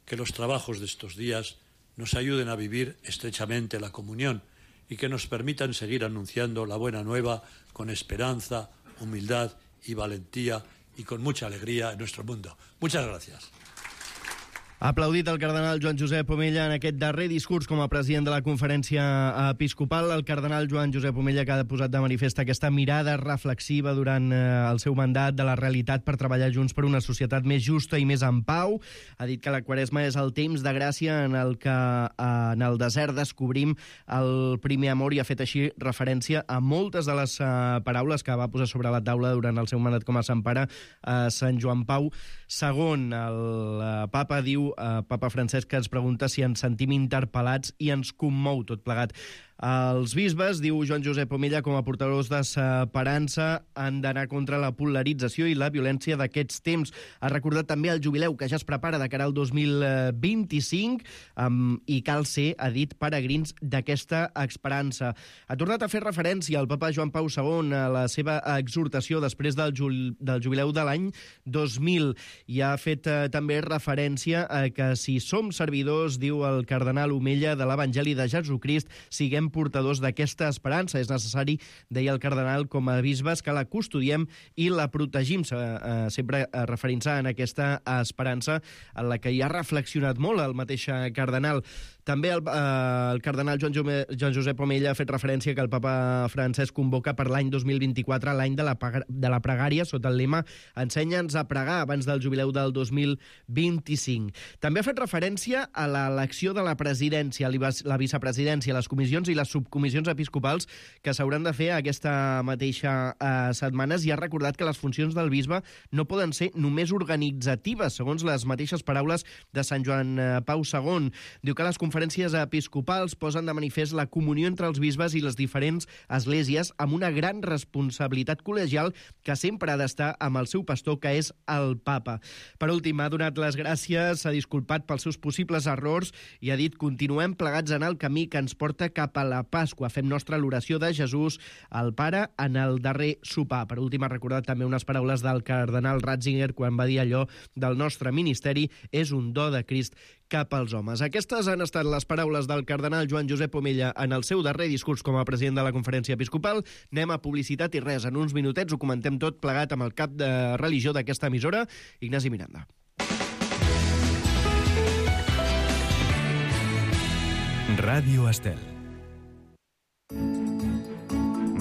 que los trabajos de estos días nos ayuden a vivir estrechamente la comunión y que nos permitan seguir anunciando la buena nueva con esperanza, humildad y valentía y con mucha alegría en nuestro mundo. Muchas gracias. Aplaudit el cardenal Joan Josep Omella en aquest darrer discurs com a president de la Conferència Episcopal. El cardenal Joan Josep Omella, que ha posat de manifest aquesta mirada reflexiva durant el seu mandat de la realitat per treballar junts per una societat més justa i més en pau. Ha dit que la Quaresma és el temps de gràcia en el que en el desert descobrim el primer amor, i ha fet així referència a moltes de les paraules que va posar sobre la taula durant el seu mandat com a Sant Pare Sant Joan Pau II. El papa diu, Papa Francesc, que ens pregunta si ens sentim interpel·lats i ens commou tot plegat. Els bisbes, diu Joan Josep Omella, com a portadors d'esperança, han d'anar contra la polarització i la violència d'aquests temps. Ha recordat també el jubileu que ja es prepara de cara al 2025 i cal ser, ha dit, peregrins d'aquesta esperança. Ha tornat a fer referència al papa Joan Pau II a la seva exhortació després del jubileu de l'any 2000 i ha fet també referència a que si som servidors, diu el cardenal Omella, de l'Evangeli de Jesucrist, siguem portadors d'aquesta esperança. És necessari, deia el cardenal, com a bisbes, que la custodiem i la protegim, sempre referint-se en aquesta esperança en la que hi ha reflexionat molt el mateix cardenal. També el cardenal Joan Josep Omella ha fet referència que el papa Francesc convoca per l'any 2024 l'any de la pregària sota el lema "Ensenya-nos a pregar" abans del jubileu del 2025. També ha fet referència a l'elecció de la presidència, la vicepresidència, les comissions i les subcomissions episcopals que s'hauran de fer aquesta mateixa setmanes, i ha recordat que les funcions del bisbe no poden ser només organitzatives, segons les mateixes paraules de Sant Joan Pau II. Diu que les conferències episcopals posen de manifest la comunió entre els bisbes i les diferents esglésies amb una gran responsabilitat col·legial que sempre ha d'estar amb el seu pastor, que és el papa. Per últim, ha donat les gràcies, s'ha disculpat pels seus possibles errors i ha dit: continuem plegats en el camí que ens porta cap a la Pasqua. Fem nostra l'oració de Jesús, el Pare, en el darrer sopar. Per últim, ha recordat també unes paraules del cardenal Ratzinger quan va dir allò: del nostre ministeri és un do de Crist cap als homes. Aquestes han estat les paraules del cardenal Joan Josep Omella en el seu darrer discurs com a president de la Conferència Episcopal. Anem a publicitat i res, en uns minutets ho comentem tot plegat amb el cap de religió d'aquesta emissora, Ignasi Miranda. Ràdio Estel.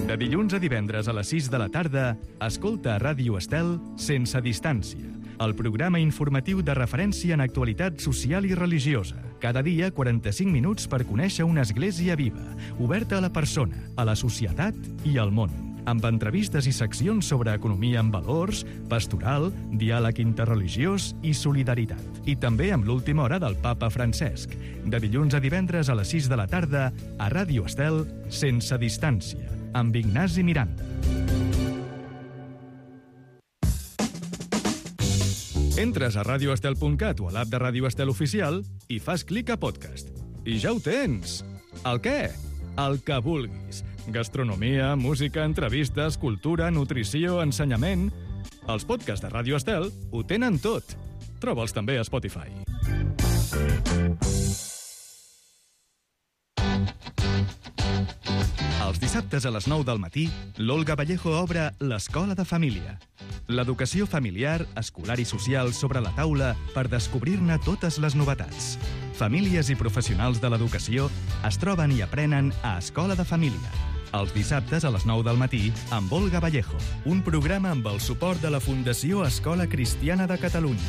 De dilluns a divendres a les 6 de la tarda, escolta a Ràdio Estel Sense Distància, el programa informatiu de referència en actualitat social i religiosa. Cada dia, 45 minuts per conèixer una església viva, oberta a la persona, a la societat i al món, amb entrevistes i seccions sobre economia amb valors, pastoral, diàleg interreligiós i solidaritat. I també amb l'última hora del papa Francesc. De dilluns a divendres a les 6 de la tarda, a Ràdio Estel, Sense Distància, amb Ignasi Miranda. Entres a radioestel.cat o a l'app de Ràdio Estel Oficial i fas clic a podcast. I ja ho tens! El què? El que vulguis. Gastronomia, música, entrevistes, cultura, nutrició, ensenyament... Els podcasts de Ràdio Estel ho tenen tot. Troba'ls també a Spotify. Els dissabtes a les 9 del matí, l'Olga Vallejo obre l'Escola de Família. L'educació familiar, escolar i social sobre la taula per descobrir-ne totes les novetats. Famílies i professionals de l'educació es troben i aprenen a Escola de Família. Els dissabtes a les 9 del matí amb Olga Vallejo, un programa amb el suport de la Fundació Escola Cristiana de Catalunya.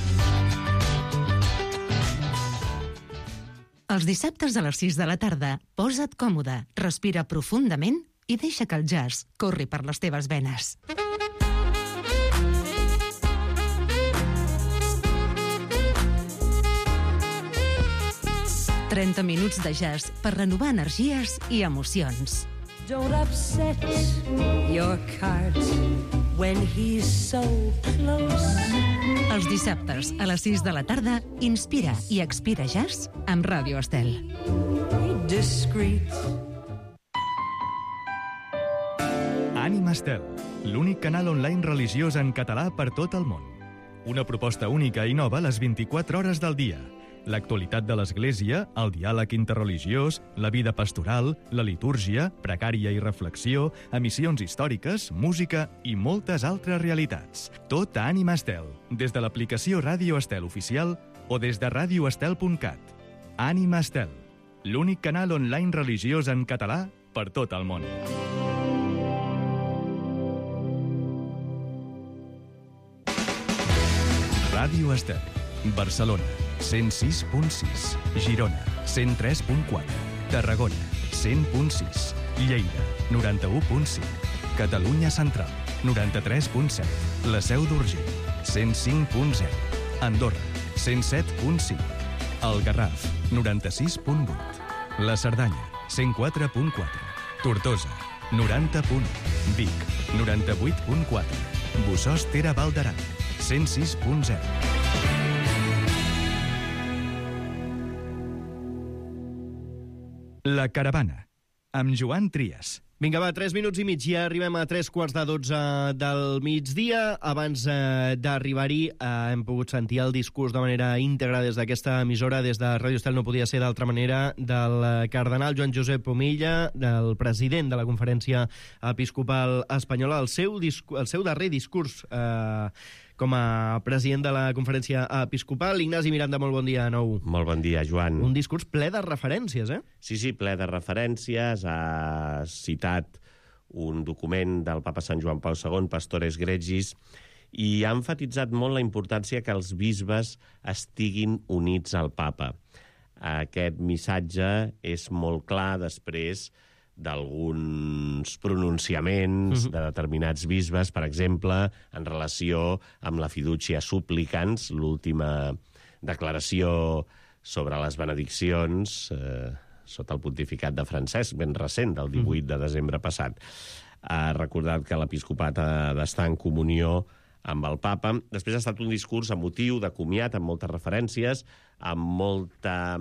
Els dissabtes a les 6 de la tarda, posa't còmode, respira profundament i deixa que el jazz corri per les teves venes. «30 minuts de jazz per renovar energies i emocions». Don't upset your cart when he's so close. Els dissabtes a les 6 de la tarda, inspira i expira jazz amb Ràdio Estel. Discreet. Ànima Estel, l'únic canal online religiós en català per tot el món. Una proposta única i nova a les 24 hores del dia. L'actualitat de l'Església, el diàleg interreligiós, la vida pastoral, la litúrgia, pregària i reflexió, emissions històriques, música i moltes altres realitats. Tot a Ànima Estel, des de l'aplicació Ràdio Estel oficial o des de radioestel.cat. Ànima Estel, l'únic canal online religiós en català per tot el món. Ràdio Estel, Barcelona, 106.6, Girona, 103.4, Tarragona, 100.6, Lleida, 91.5, Catalunya Central, 93.7, la Seu d'Urgell, 105.0, Andorra, 107.5, el Garraf, 96.8, la Cerdanya, 104.4, Tortosa, 90.1, Vic, 98.4, Bossòst Tere Val d'Aran, 106.0. La Caravana, amb Joan Trias. Vinga, va, 3 minuts i mig. Ja arribem a 3:45 del migdia. Abans d'arribar-hi hem pogut sentir el discurs de manera íntegra des d'aquesta emissora, des de Ràdio Estel, no podia ser d'altra manera, del cardenal Joan Josep Omella, del president de la Conferència Episcopal Espanyola, el seu darrer discurs com a president de la Conferència Episcopal. Ignasi Miranda, molt bon dia de nou. Molt bon dia, Joan. Un discurs ple de referències, eh? Sí, ple de referències. Ha citat un document del papa Sant Joan Pau II, Pastores Gregis, i ha enfatitzat molt la importància que els bisbes estiguin units al papa. Aquest missatge és molt clar després d'alguns pronunciaments de determinats bisbes, per exemple, en relació amb la fiducia supplicans, l'última declaració sobre les benediccions sota el pontificat de Francesc, ben recent, del 18 de desembre passat. Ha recordat que l'episcopat ha d'estar en comunió amb el papa. Després ha estat un discurs emotiu, de comiat, amb moltes referències, amb molta,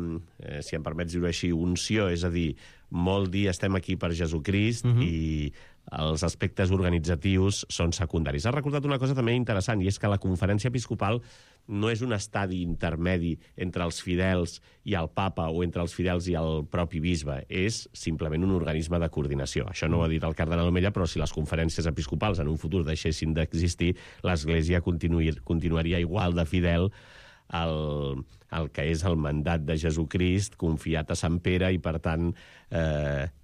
si em permets dir-ho així, unció, és a dir, molt dir estem aquí per Jesucrist i els aspectes organitzatius són secundaris. Ha recordat una cosa també interessant, i és que la Conferència Episcopal no és un estadi intermedi entre els fidels i el papa o entre els fidels i el propi bisbe, és simplement un organisme de coordinació. Això no ho ha dit el cardenal Omella, però si les conferències episcopals en un futur deixessin d'existir, l'Església continuaria igual de fidel el que és el mandat de Jesucrist confiat a Sant Pere i, per tant,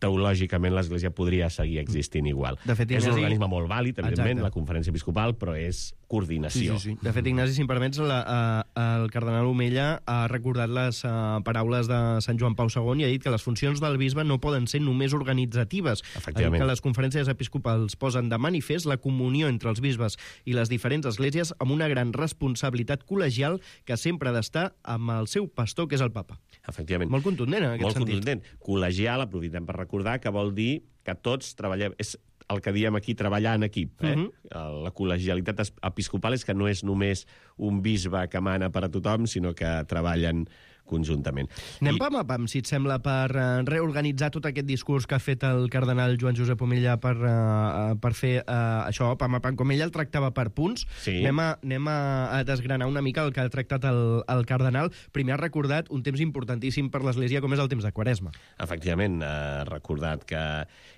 teològicament l'Església podria seguir existint igual. De fet, és un organisme molt vàlid, evidentment, la Conferència Episcopal, però és coordinació. Sí. De fet, Ignasi, si em permets, el cardenal Omella ha recordat les paraules de Sant Joan Pau II i ha dit que les funcions del bisbe no poden ser només organitzatives. Efectivament. Que les conferències episcopals posen de manifest la comunió entre els bisbes i les diferents esglésies amb una gran responsabilitat col·legial que sempre ha d'estar amb el seu pastor, que és el papa. Efectivament. Molt contundent, en aquest sentit. Molt contundent. Col·legial, aprofitem per recordar, que vol dir que tots treballem... És el que diem aquí, treballar en equip. La col·legialitat episcopal és que no és només un bisbe que mana per a tothom, sinó que treballen conjuntament. Anem pam a pam, si et sembla, per reorganitzar tot aquest discurs que ha fet el cardenal Joan Josep Omella per fer això, pam a pam, com ell el tractava per punts. Sí. Anem a desgranar una mica el que ha tractat el cardenal. Primer ha recordat un temps importantíssim per l'Església, com és el temps de Quaresma. Efectivament, ha recordat que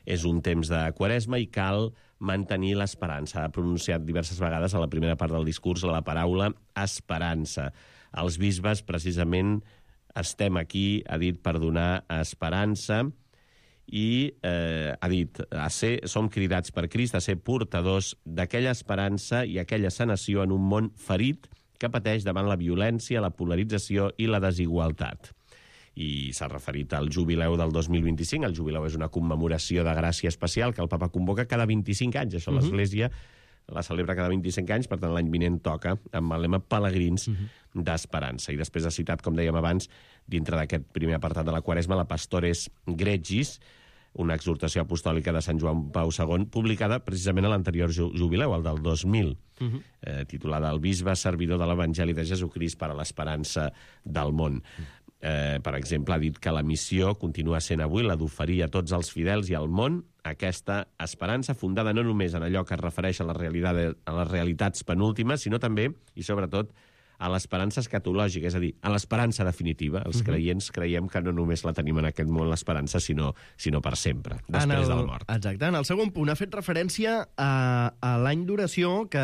és un temps de Quaresma i cal mantenir l'esperança. Ha pronunciat diverses vegades a la primera part del discurs la paraula esperança. Els bisbes, precisament, estem aquí, ha dit, per donar esperança i ha dit, som cridats per Crist a ser portadors d'aquella esperança i aquella sanació en un món ferit que pateix davant la violència, la polarització i la desigualtat. I s'ha referit al jubileu del 2025. El jubileu és una commemoració de gràcia especial que el papa convoca cada 25 anys. Això l'Església la celebra cada 25 anys, per tant l'any vinent toca amb el lema Pelegrins d'Esperança. I després ha citat, com dèiem abans, dintre d'aquest primer apartat de la Quaresma, la Pastores Gregis, una exhortació apostòlica de Sant Joan Pau II, publicada precisament a l'anterior jubileu, el del 2000, titulada El bisbe servidor de l'Evangeli de Jesucrist per a l'esperança del món. Per exemple, ha dit que la missió continua sent avui la d'oferir a tots els fidels i al món aquesta esperança fundada no només en allò que es refereix a les realitats penúltimes, sinó també, i sobretot, a l'esperança escatològica, és a dir, a l'esperança definitiva. Els creients creiem que no només la tenim en aquest món, l'esperança, sinó per sempre, després de la mort. Exacte. En el segon punt ha fet referència a l'any d'oració que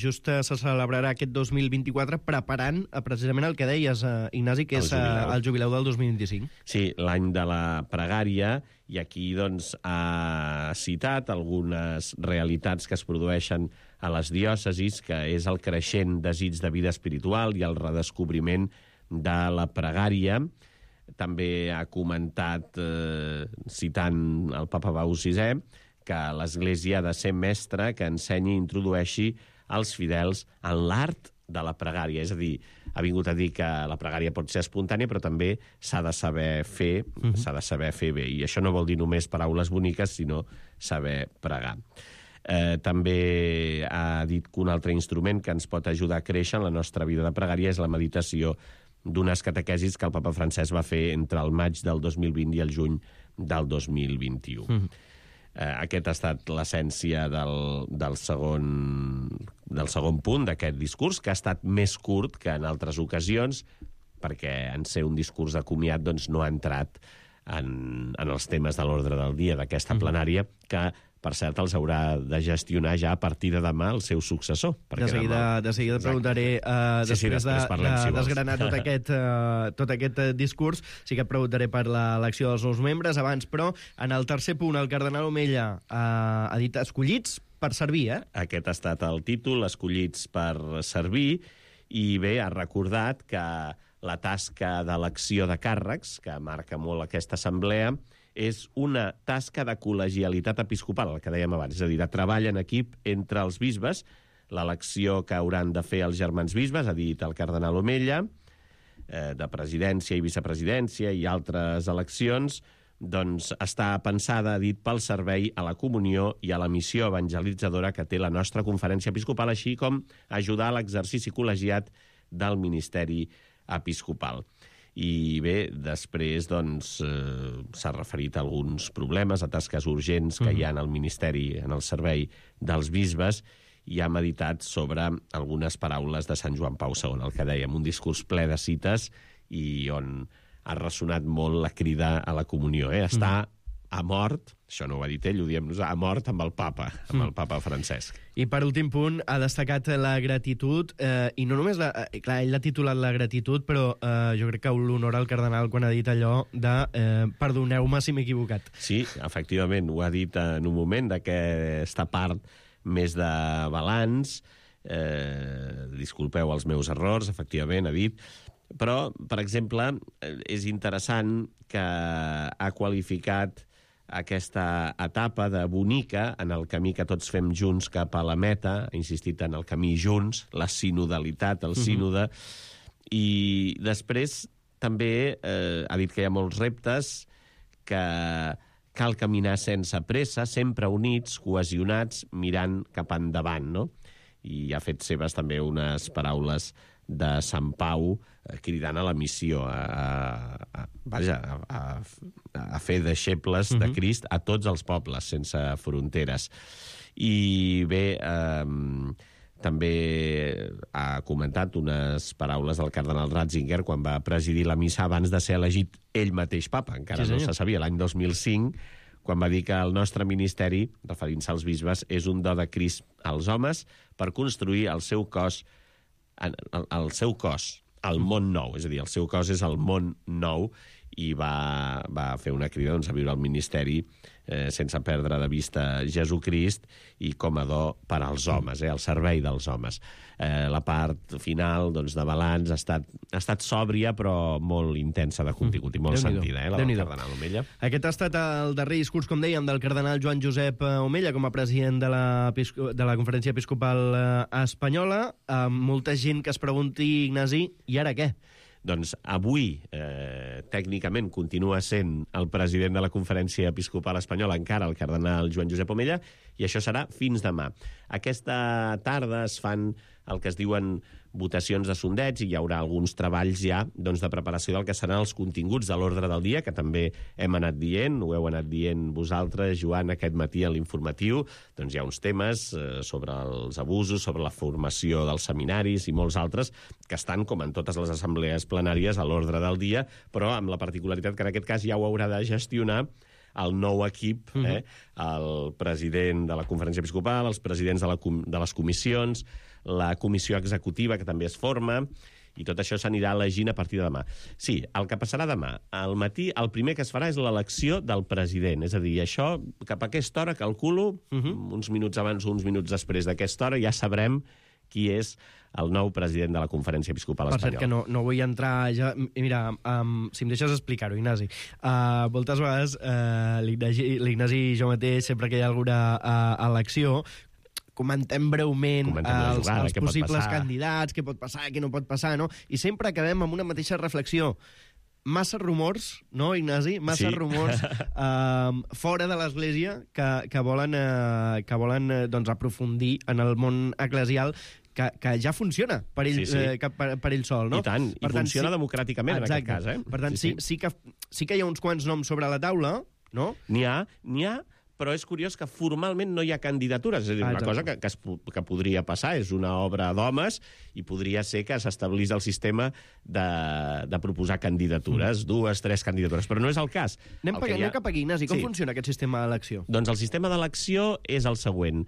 just se celebrarà aquest 2024 preparant precisament el que deies, Ignasi, que és el jubileu del 2025. Sí, l'any de la pregària, i aquí doncs ha citat algunes realitats que es produeixen a les diòcesis, que és el creixent desig de vida espiritual i el redescobriment de la pregària. També ha comentat, citant el papa Pau VI, que l'Església ha de ser mestra que ensenyi i introdueixi els fidels en l'art de la pregària. És a dir, ha vingut a dir que la pregària pot ser espontània, però també s'ha de saber fer, s'ha de saber fer bé. I això no vol dir només paraules boniques, sinó saber pregar. També ha dit que un altre instrument que ens pot ajudar a créixer en la nostra vida de pregària és la meditació d'unes catequesis que el papa Francesc va fer entre el maig del 2020 i el juny del 2021. Aquest ha estat l'essència del segon punt d'aquest discurs, que ha estat més curt que en altres ocasions, perquè en ser un discurs de comiat doncs, no ha entrat en els temes de l'ordre del dia d'aquesta plenària, que, per cert, els haurà de gestionar ja a partir de demà el seu successor. De seguida preguntaré, després de desgranar tot aquest discurs, sí que et preguntaré per l'elecció dels nous membres abans, però en el tercer punt el cardenal Omella ha dit escollits per servir, Aquest ha estat el títol, escollits per servir, i bé, ha recordat que la tasca d'elecció de càrrecs, que marca molt aquesta assemblea, és una tasca de col·legialitat episcopal, el que dèiem abans, és a dir, de treball en equip entre els bisbes, l'elecció que hauran de fer els germans bisbes, ha dit el cardenal Omella, de presidència i vicepresidència i altres eleccions, doncs està pensada, ha dit, pel servei a la comunió i a la missió evangelitzadora que té la nostra conferència episcopal, així com ajudar a l'exercici col·legiat del ministeri episcopal. I bé, després doncs, s'ha referit a alguns problemes, a tasques urgents que hi ha en el ministeri, en el servei dels bisbes, i ha meditat sobre algunes paraules de Sant Joan Pau II, el que dèiem, un discurs ple de cites i on ha ressonat molt la crida a la comunió. Està a mort, això no ho ha dit ell, ho diem nosaltres, a mort amb el papa Francesc. I per últim punt, ha destacat la gratitud, i no només, clar, ell l'ha titulat la gratitud, però jo crec que l'honora al cardenal quan ha dit allò de perdoneu-me si m'he equivocat. Sí, efectivament, ho ha dit en un moment d'aquesta part més de balanç, disculpeu els meus errors, efectivament, ha dit, però, per exemple, és interessant que ha qualificat aquesta etapa de bonica en el camí que tots fem junts cap a la meta, ha insistit en el camí junts, la sinodalitat, el sínode, i després també ha dit que hi ha molts reptes, que cal caminar sense pressa, sempre units, cohesionats, mirant cap endavant, no? I ha fet seves també unes paraules de Sant Pau cridant a la missió, a fer deixebles de Crist a tots els pobles, sense fronteres. I bé, també ha comentat unes paraules del cardenal Ratzinger quan va presidir la missa abans de ser elegit ell mateix papa, encara no se sabia, l'any 2005, quan va dir que el nostre ministeri, referint-se als bisbes, és un do de Crist als homes per construir el seu cos, el món nou, és a dir, el seu cos és el món nou, i va fer una crida a viure al ministeri sense perdre de vista Jesucrist i com a do per als homes, al servei dels homes. La part final de balanç ha estat sòbria però molt intensa de contingut i molt sentida, la del cardenal Omella. Aquest ha estat el darrer discurs, com dèiem, del cardenal Joan Josep Omella com a president de la Conferència Episcopal Espanyola. Molta gent que es pregunti, Ignasi, i ara què? Doncs avui, tècnicament, continua sent el president de la Conferència Episcopal Espanyola, encara el cardenal Joan Josep Omella, i això serà fins demà. Aquesta tarda es fan el que es diuen votacions de sondeig i hi haurà alguns treballs ja de preparació del que seran els continguts de l'ordre del dia, que també hem anat dient, ho heu anat dient vosaltres, Joan, aquest matí a l'informatiu. Doncs hi ha uns temes sobre els abusos, sobre la formació dels seminaris i molts altres que estan, com en totes les assemblees plenàries, a l'ordre del dia, però amb la particularitat que en aquest cas ja ho haurà de gestionar el nou equip, el president de la Conferència Episcopal, els presidents de les comissions, la comissió executiva, que també es forma, i tot això s'anirà elegint a partir de demà. Sí, el que passarà demà, al matí, el primer que es farà és l'elecció del president. És a dir, això, cap a aquesta hora, calculo, uns minuts abans o uns minuts després d'aquesta hora, ja sabrem qui és el nou president de la Conferència Episcopal Espanyola. Per cert, que no vull entrar ja... Mira, si em deixes explicar-ho, Ignasi. Moltes vegades l'Ignasi i jo mateix, sempre que hi ha alguna elecció, comentem breument els possibles candidats, què pot passar, què no pot passar, no? I sempre acabem amb una mateixa reflexió. Massa rumors, no, Ignasi? Massa rumors fora de l'Església que volen aprofundir en el món eclesial que ja funciona per ell sol, no? I tant, i funciona democràticament en aquest cas, eh? Per tant, sí que hi ha uns quants noms sobre la taula, no? N'hi ha, però és curiós que formalment no hi ha candidatures. És a dir, una cosa que podria passar, és una obra d'homes i podria ser que s'establís el sistema de proposar candidatures, 2, 3 candidatures, però no és el cas. Anem cap aquí, Ignasi. Com funciona aquest sistema d'elecció? Doncs el sistema d'elecció és el següent.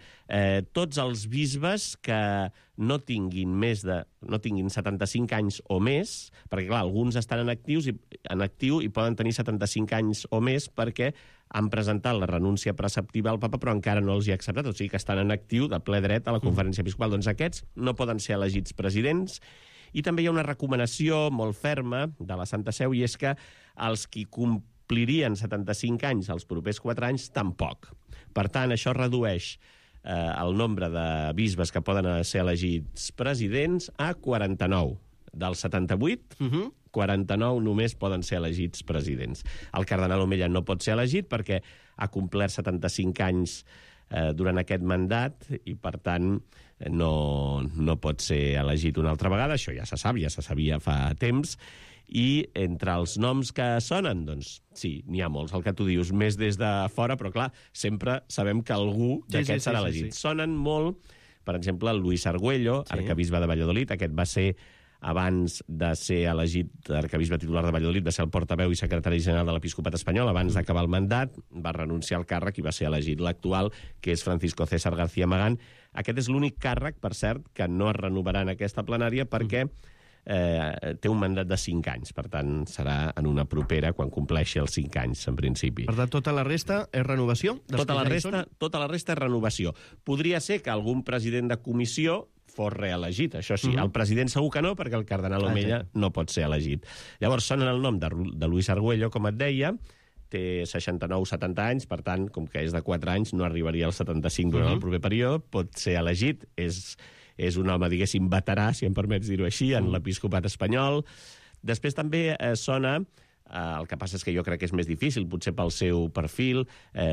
Tots els bisbes que no tinguin 75 anys o més, perquè, clar, alguns estan en actiu i poden tenir 75 anys o més perquè han presentat la renúncia preceptiva al papa, però encara no els hi ha acceptat, o sigui que estan en actiu de ple dret a la Conferència Episcopal. Doncs aquests no poden ser elegits presidents, i també hi ha una recomanació molt ferma de la Santa Seu, i és que els qui complirien 75 anys els propers 4 anys, tampoc. Per tant, això redueix el nombre de bisbes que poden ser elegits presidents a 49. Dels 78, 49 només poden ser elegits presidents. El cardenal Omella no pot ser elegit perquè ha complert 75 anys durant aquest mandat i, per tant, no pot ser elegit una altra vegada. Això ja se sap, ja se sabia fa temps. I entre els noms que sonen, doncs sí, n'hi ha molts. El que tu dius, més des de fora, però clar, sempre sabem que algú d'aquests serà elegit. Sonen molt, per exemple, el Luis Argüello, arquebisbe de Valladolid. Aquest va ser, abans de ser elegit arquebisbe titular de Valladolid, va ser el portaveu i secretari general de l'Episcopat espanyol. Abans d'acabar el mandat, va renunciar al càrrec i va ser elegit l'actual, que és Francisco César García Magán. Aquest és l'únic càrrec, per cert, que no es renovarà en aquesta plenària perquè té un mandat de 5 anys. Per tant, serà en una propera quan compleixi els 5 anys, en principi. Per tant, tota la resta és renovació? Tota la resta és renovació. Podria ser que algun president de comissió fos reelegit, això sí. El president segur que no, perquè el cardenal Omella no pot ser elegit. Llavors, sonen el nom de Luis Argüello, com et deia, té 69-70 anys, per tant, com que és de 4 anys, no arribaria als 75 durant el proper període, pot ser elegit, és un home, diguéssim, veterà, si em permets dir-ho així, en l'episcopat espanyol. Després també sona, el que passa és que jo crec que és més difícil, potser pel seu perfil,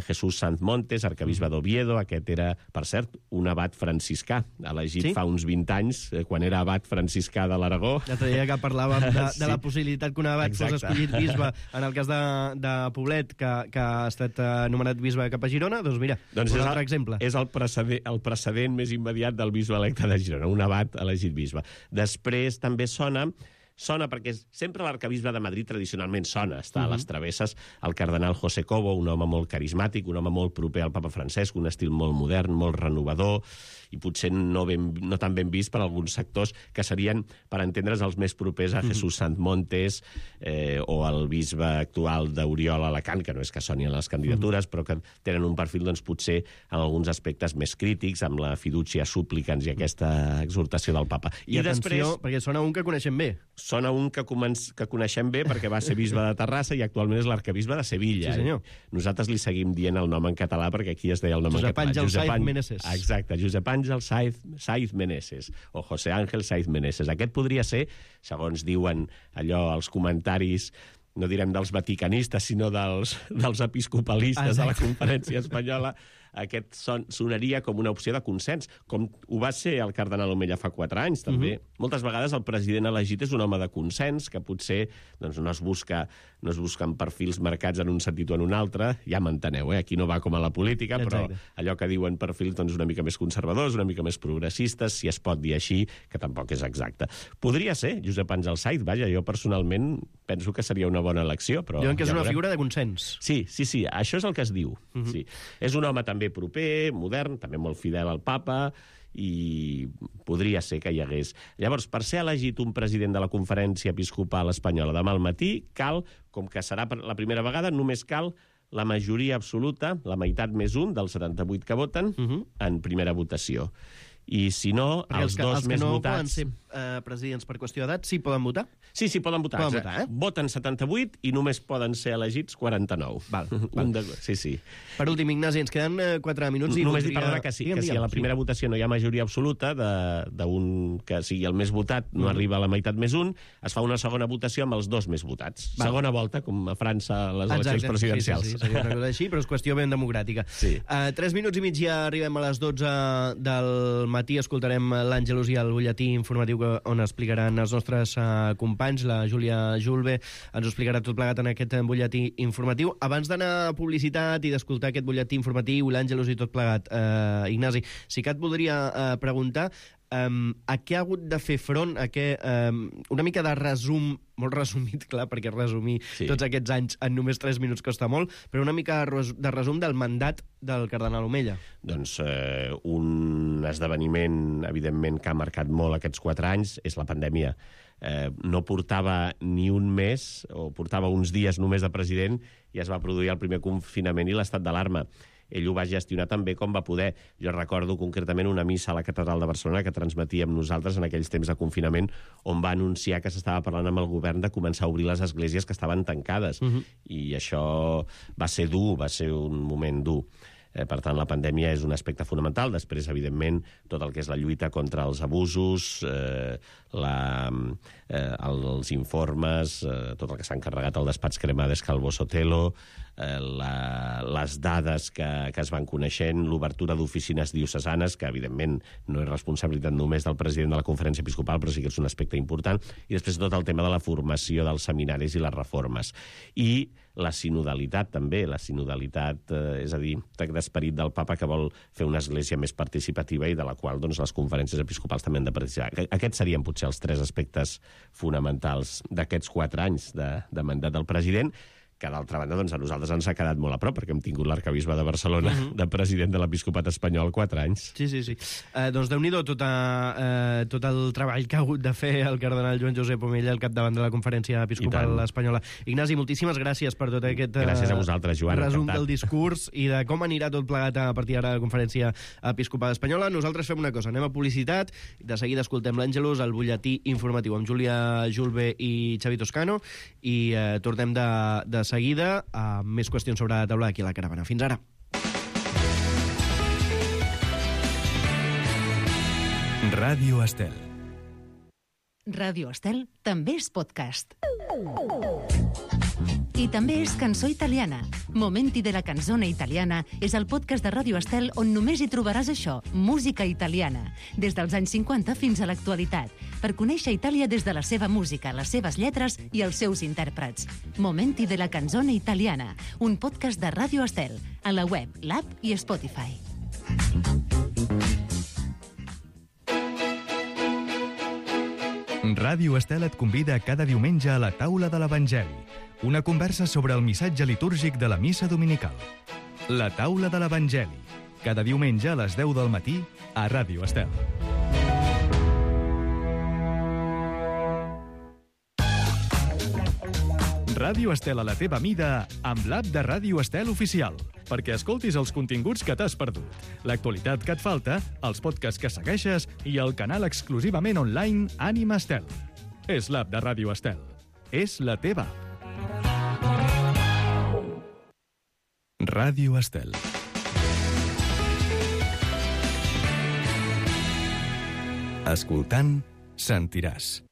Jesús Sanz Montes, arquebisbe d'Oviedo. Aquest era, per cert, un abat franciscà, elegit fa uns 20 anys, quan era abat franciscà de l'Aragó. L'altre dia que parlàvem de la possibilitat que un abat fos escollit bisbe, en el cas de Poblet, que ha estat nomenat bisbe cap a Girona, doncs mira, un altre exemple. És el precedent més immediat del bisbe electe de Girona, un abat elegit bisbe. Després també sona sona perquè sempre l'arcabisbe de Madrid tradicionalment sona, està a les travesses el cardenal José Cobo, un home molt carismàtic, un home molt proper al papa Francesc, un estil molt modern, molt renovador, i potser no tan ben vist per alguns sectors que serien, per entendre's, els més propers a Jesús Santmontes o al bisbe actual d'Oriol Alacant, que no és que soni a les candidatures, però que tenen un perfil, doncs, potser en alguns aspectes més crítics, amb la fiducia supplicans i aquesta exhortació del papa. I atenció, perquè sona un que coneixem bé. Sona un que coneixem bé perquè va ser bisbe de Terrassa i actualment és l'arcabisbe de Sevilla. Sí, senyor. Nosaltres li seguim dient el nom en català perquè aquí es deia el nom en català. Josep Àngel Saiz Meneses. Exacte, Josep Àngel Saiz Meneses, o José Ángel Saiz Meneses. Aquest podria ser, segons diuen allò, els comentaris, no direm dels vaticanistes, sinó dels episcopalistes de la Conferència Espanyola, aquest sonaria com una opció de consens, com ho va ser el cardenal Omella fa 4 anys, també. Moltes vegades el president elegit és un home de consens, que potser doncs, no es busquen perfils marcats en un sentit o en un altre, ja m'enteneu, aquí no va com a la política, però allò que diuen perfils doncs, una mica més conservadors, una mica més progressistes, si es pot dir així, que tampoc és exacte. Podria ser Josep Àngel Saiz, vaja, jo personalment penso que seria una bona elecció, però... Diuen que és una figura de consens. Sí, això és el que es diu. Sí. És un home també proper, modern, també molt fidel al papa, i podria ser que hi hagués. Llavors, per ser elegit un president de la Conferència Episcopal Espanyola demà al matí, cal, com que serà la primera vegada, només cal la majoria absoluta, la meitat més un dels 78 que voten, en primera votació. I si no, els dos més votats... Els que no poden ser presidents per qüestió d'edat, sí poden votar? Sí, poden votar. Voten 78 i només poden ser elegits 49. Sí. Per últim, Ignasi, ens queden 4 minuts. Només dir, perdona, que si a la primera votació no hi ha majoria absoluta d'un que sigui el més votat, no arriba a la meitat més un, es fa una segona votació amb els dos més votats. Segona volta, com a França, a les eleccions presidencials. Sí, seria una cosa així, però és qüestió ben democràtica. 3 minuts i mig ja arribem a les 12 del matí, escoltarem l'Àngelus i el butlletí informatiu on explicaran els nostres companys, la Júlia Julve ens ho explicarà tot plegat en aquest butlletí informatiu. Abans d'anar a publicitat i d'escoltar aquest butlletí informatiu, l'Àngelus i tot plegat, Ignasi, sí que et voldria preguntar a què ha hagut de fer front, una mica de resum, molt resumit, clar, perquè resumir tots aquests anys en només 3 minuts costa molt, però una mica de resum del mandat del cardenal Omella. Doncs un esdeveniment, evidentment, que ha marcat molt aquests 4 anys, és la pandèmia. No portava ni un mes, o portava uns dies només de president, i es va produir el primer confinament i l'estat d'alarma. Ell ho va gestionar tan bé com va poder. Jo recordo concretament una missa a la Catedral de Barcelona que transmetíem nosaltres en aquells temps de confinament, on va anunciar que s'estava parlant amb el govern de començar a obrir les esglésies que estaven tancades. I això va ser dur, va ser un moment dur. Per tant, la pandèmia és un aspecte fonamental. Després, evidentment, tot el que és la lluita contra els abusos, els informes, tot el que s'ha encarregat al despatx Cremades Calvo Sotelo, les dades que es van coneixent, l'obertura d'oficines diocesanes, que evidentment no és responsabilitat només del president de la Conferència Episcopal, però sí que és un aspecte important, i després tot el tema de la formació dels seminaris i les reformes. I la sinodalitat també, és a dir, d'esperit del papa que vol fer una església més participativa i de la qual doncs, les conferències episcopals també han de participar. Aquests serien potser els 3 aspectes fonamentals d'aquests 4 anys de mandat del president, que d'altra banda doncs, a nosaltres ens ha quedat molt a prop, perquè hem tingut l'arcabisbe de Barcelona de president de l'episcopat espanyol 4 anys. Sí. Doncs Déu-n'hi-do tot el treball que ha hagut de fer el cardenal Joan Josep Omella al capdavant de la Conferència Episcopal Espanyola. Ignasi, moltíssimes gràcies per tot aquest gràcies a vosaltres, Joan, resum del discurs i de com anirà tot plegat a partir d'ara a la Conferència Episcopal Espanyola. Nosaltres fem una cosa, anem a publicitat, de seguida escoltem l'Àngelus, el butlletí informatiu amb Júlia Julve i Xavi Toscano, i tornem de seguida amb més qüestions sobre la taula aquí a la caravana. Fins ara. Ràdio Estel. Ràdio Estel també és podcast. I també és cançó italiana. Momenti de la canzone italiana és el podcast de Ràdio Estel on només hi trobaràs això, música italiana, des dels anys 50 fins a l'actualitat, per conèixer Itàlia des de la seva música, les seves lletres i els seus intèrprets. Momenti de la canzone italiana, un podcast de Ràdio Estel, a la web, l'app i Spotify. Ràdio Estel et convida cada diumenge a la taula de l'Evangeli, una conversa sobre el missatge litúrgic de la missa dominical. La taula de l'Evangeli, cada diumenge a les 10 del matí a Ràdio Estel. Ràdio Estel a la teva mida amb l'app de Ràdio Estel oficial, perquè escoltis els continguts que t'has perdut, l'actualitat que et falta, els podcasts que segueixes i el canal exclusivament online Ànima Estel. És l'app de Ràdio Estel. És la teva app. Ràdio Estel. Escoltant, sentiràs.